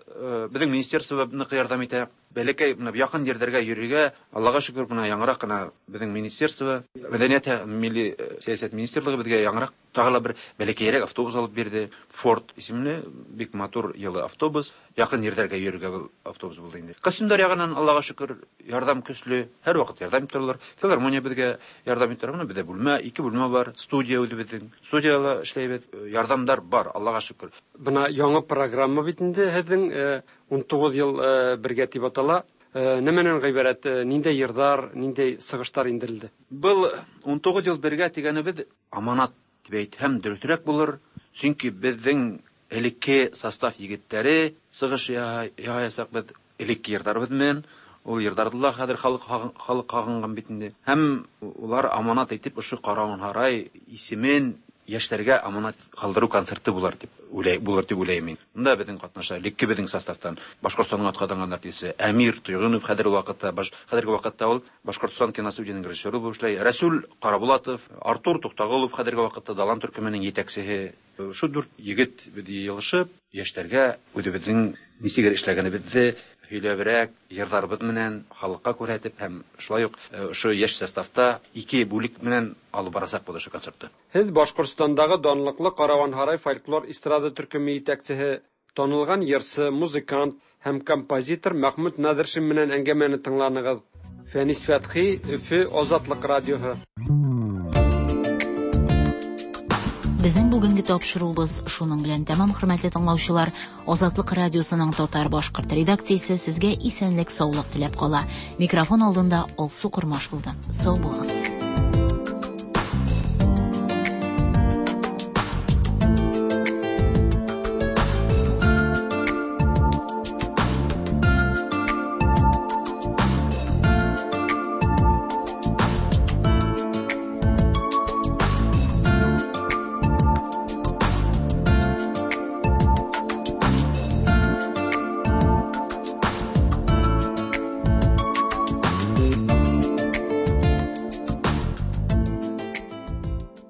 безнең министерство нык ярдәм итә. Бәләкәй менә якын җирләргә йөрергә, Аллага шөкер, менә яңарак кына безнең министерство, мәдәният һәм милли сәясәт министрлыгы безгә яңарак тагы ла бер бәләкәйрәк автобус алып бирде. Форд исемле бик матур йылы автобус. Якын җирләргә йөрергә бу автобус булды инде. Костюмдар ягыннан Аллага шөкер, ярдәм көчле, һәрвакыт ярдәм итәләр. Филармония безгә ярдәм итә. Менә бездә бүлмә, ике бүлмә бар, студия үзебезнең. Студияла эшләйбез. Ярдәмдәр бар, Аллага шөкер. Бына яңа программа бит инде һеҙҙең ун тугыз ел бергә дип атала. Нәмәнән ғибәрәт, ниндәй йырҙар, ниндәй сығыштар индерелде? Был ун тугыз ел бергә тигәнебеҙ аманат дип әйтһәм дөрөҫөрәк булыр. Сөнки беҙҙең элекке состав егеттәре сығыш яһаясаҡ беҙ элекке йырҙарыбыҙ менән. Ул йырҙарҙы ла хәҙер халыҡ халыҡ һағынған бит инде. Һәм улар аманат итеп ошо Каравон-Һарай исемен яшьләргә аманат калдыру концерты булар дип уйлай, булыр дип уйлыйм мин. Монда безнең катнаша элекке безнең составтан Башкортстанның атказанган артисты Әмир Тойгынов хәзерге вакытта, баш, хәзерге вакытта ул Башкортстан киностудиясенең режиссеры булып эшләй. Рәсүл Карабулатов, Артур Туктагулов хәзерге вакытта Далан төркеменең җитәкчесе. Шу дүрт егет без җыелышып, яшьләргә үзебезнең ничек эшләгәнебезне һөйләбрәк, йырларыбыҙ менән халыҡҡа күрһәтеп һәм шулай уҡ ошо йәш составта ике бүлек менән алып барасаҡбыҙ ошо концертты. Һеҙ Башҡортостандағы данлыҡлы Караванһарай фольклор эстрада төркөмө етәксеһе, танылған йырсы, музыкант һәм композитор Мәхмүт Наҙыршин менән әңгәмәне тыңланығыҙ. Фәнис Фәтхи, Өфө, Азатлыҡ радиоһы. Безнең бүгенге тапшыруыбыз шуның белән тәмам, хөрмәтле тыңлаучылар. Азатлык радиосының татар башкорт редакциясе сезгә исәнлек, саулык теләп кала. Микрофон алдында Алсу Кормаш булды. Сау булыгыз.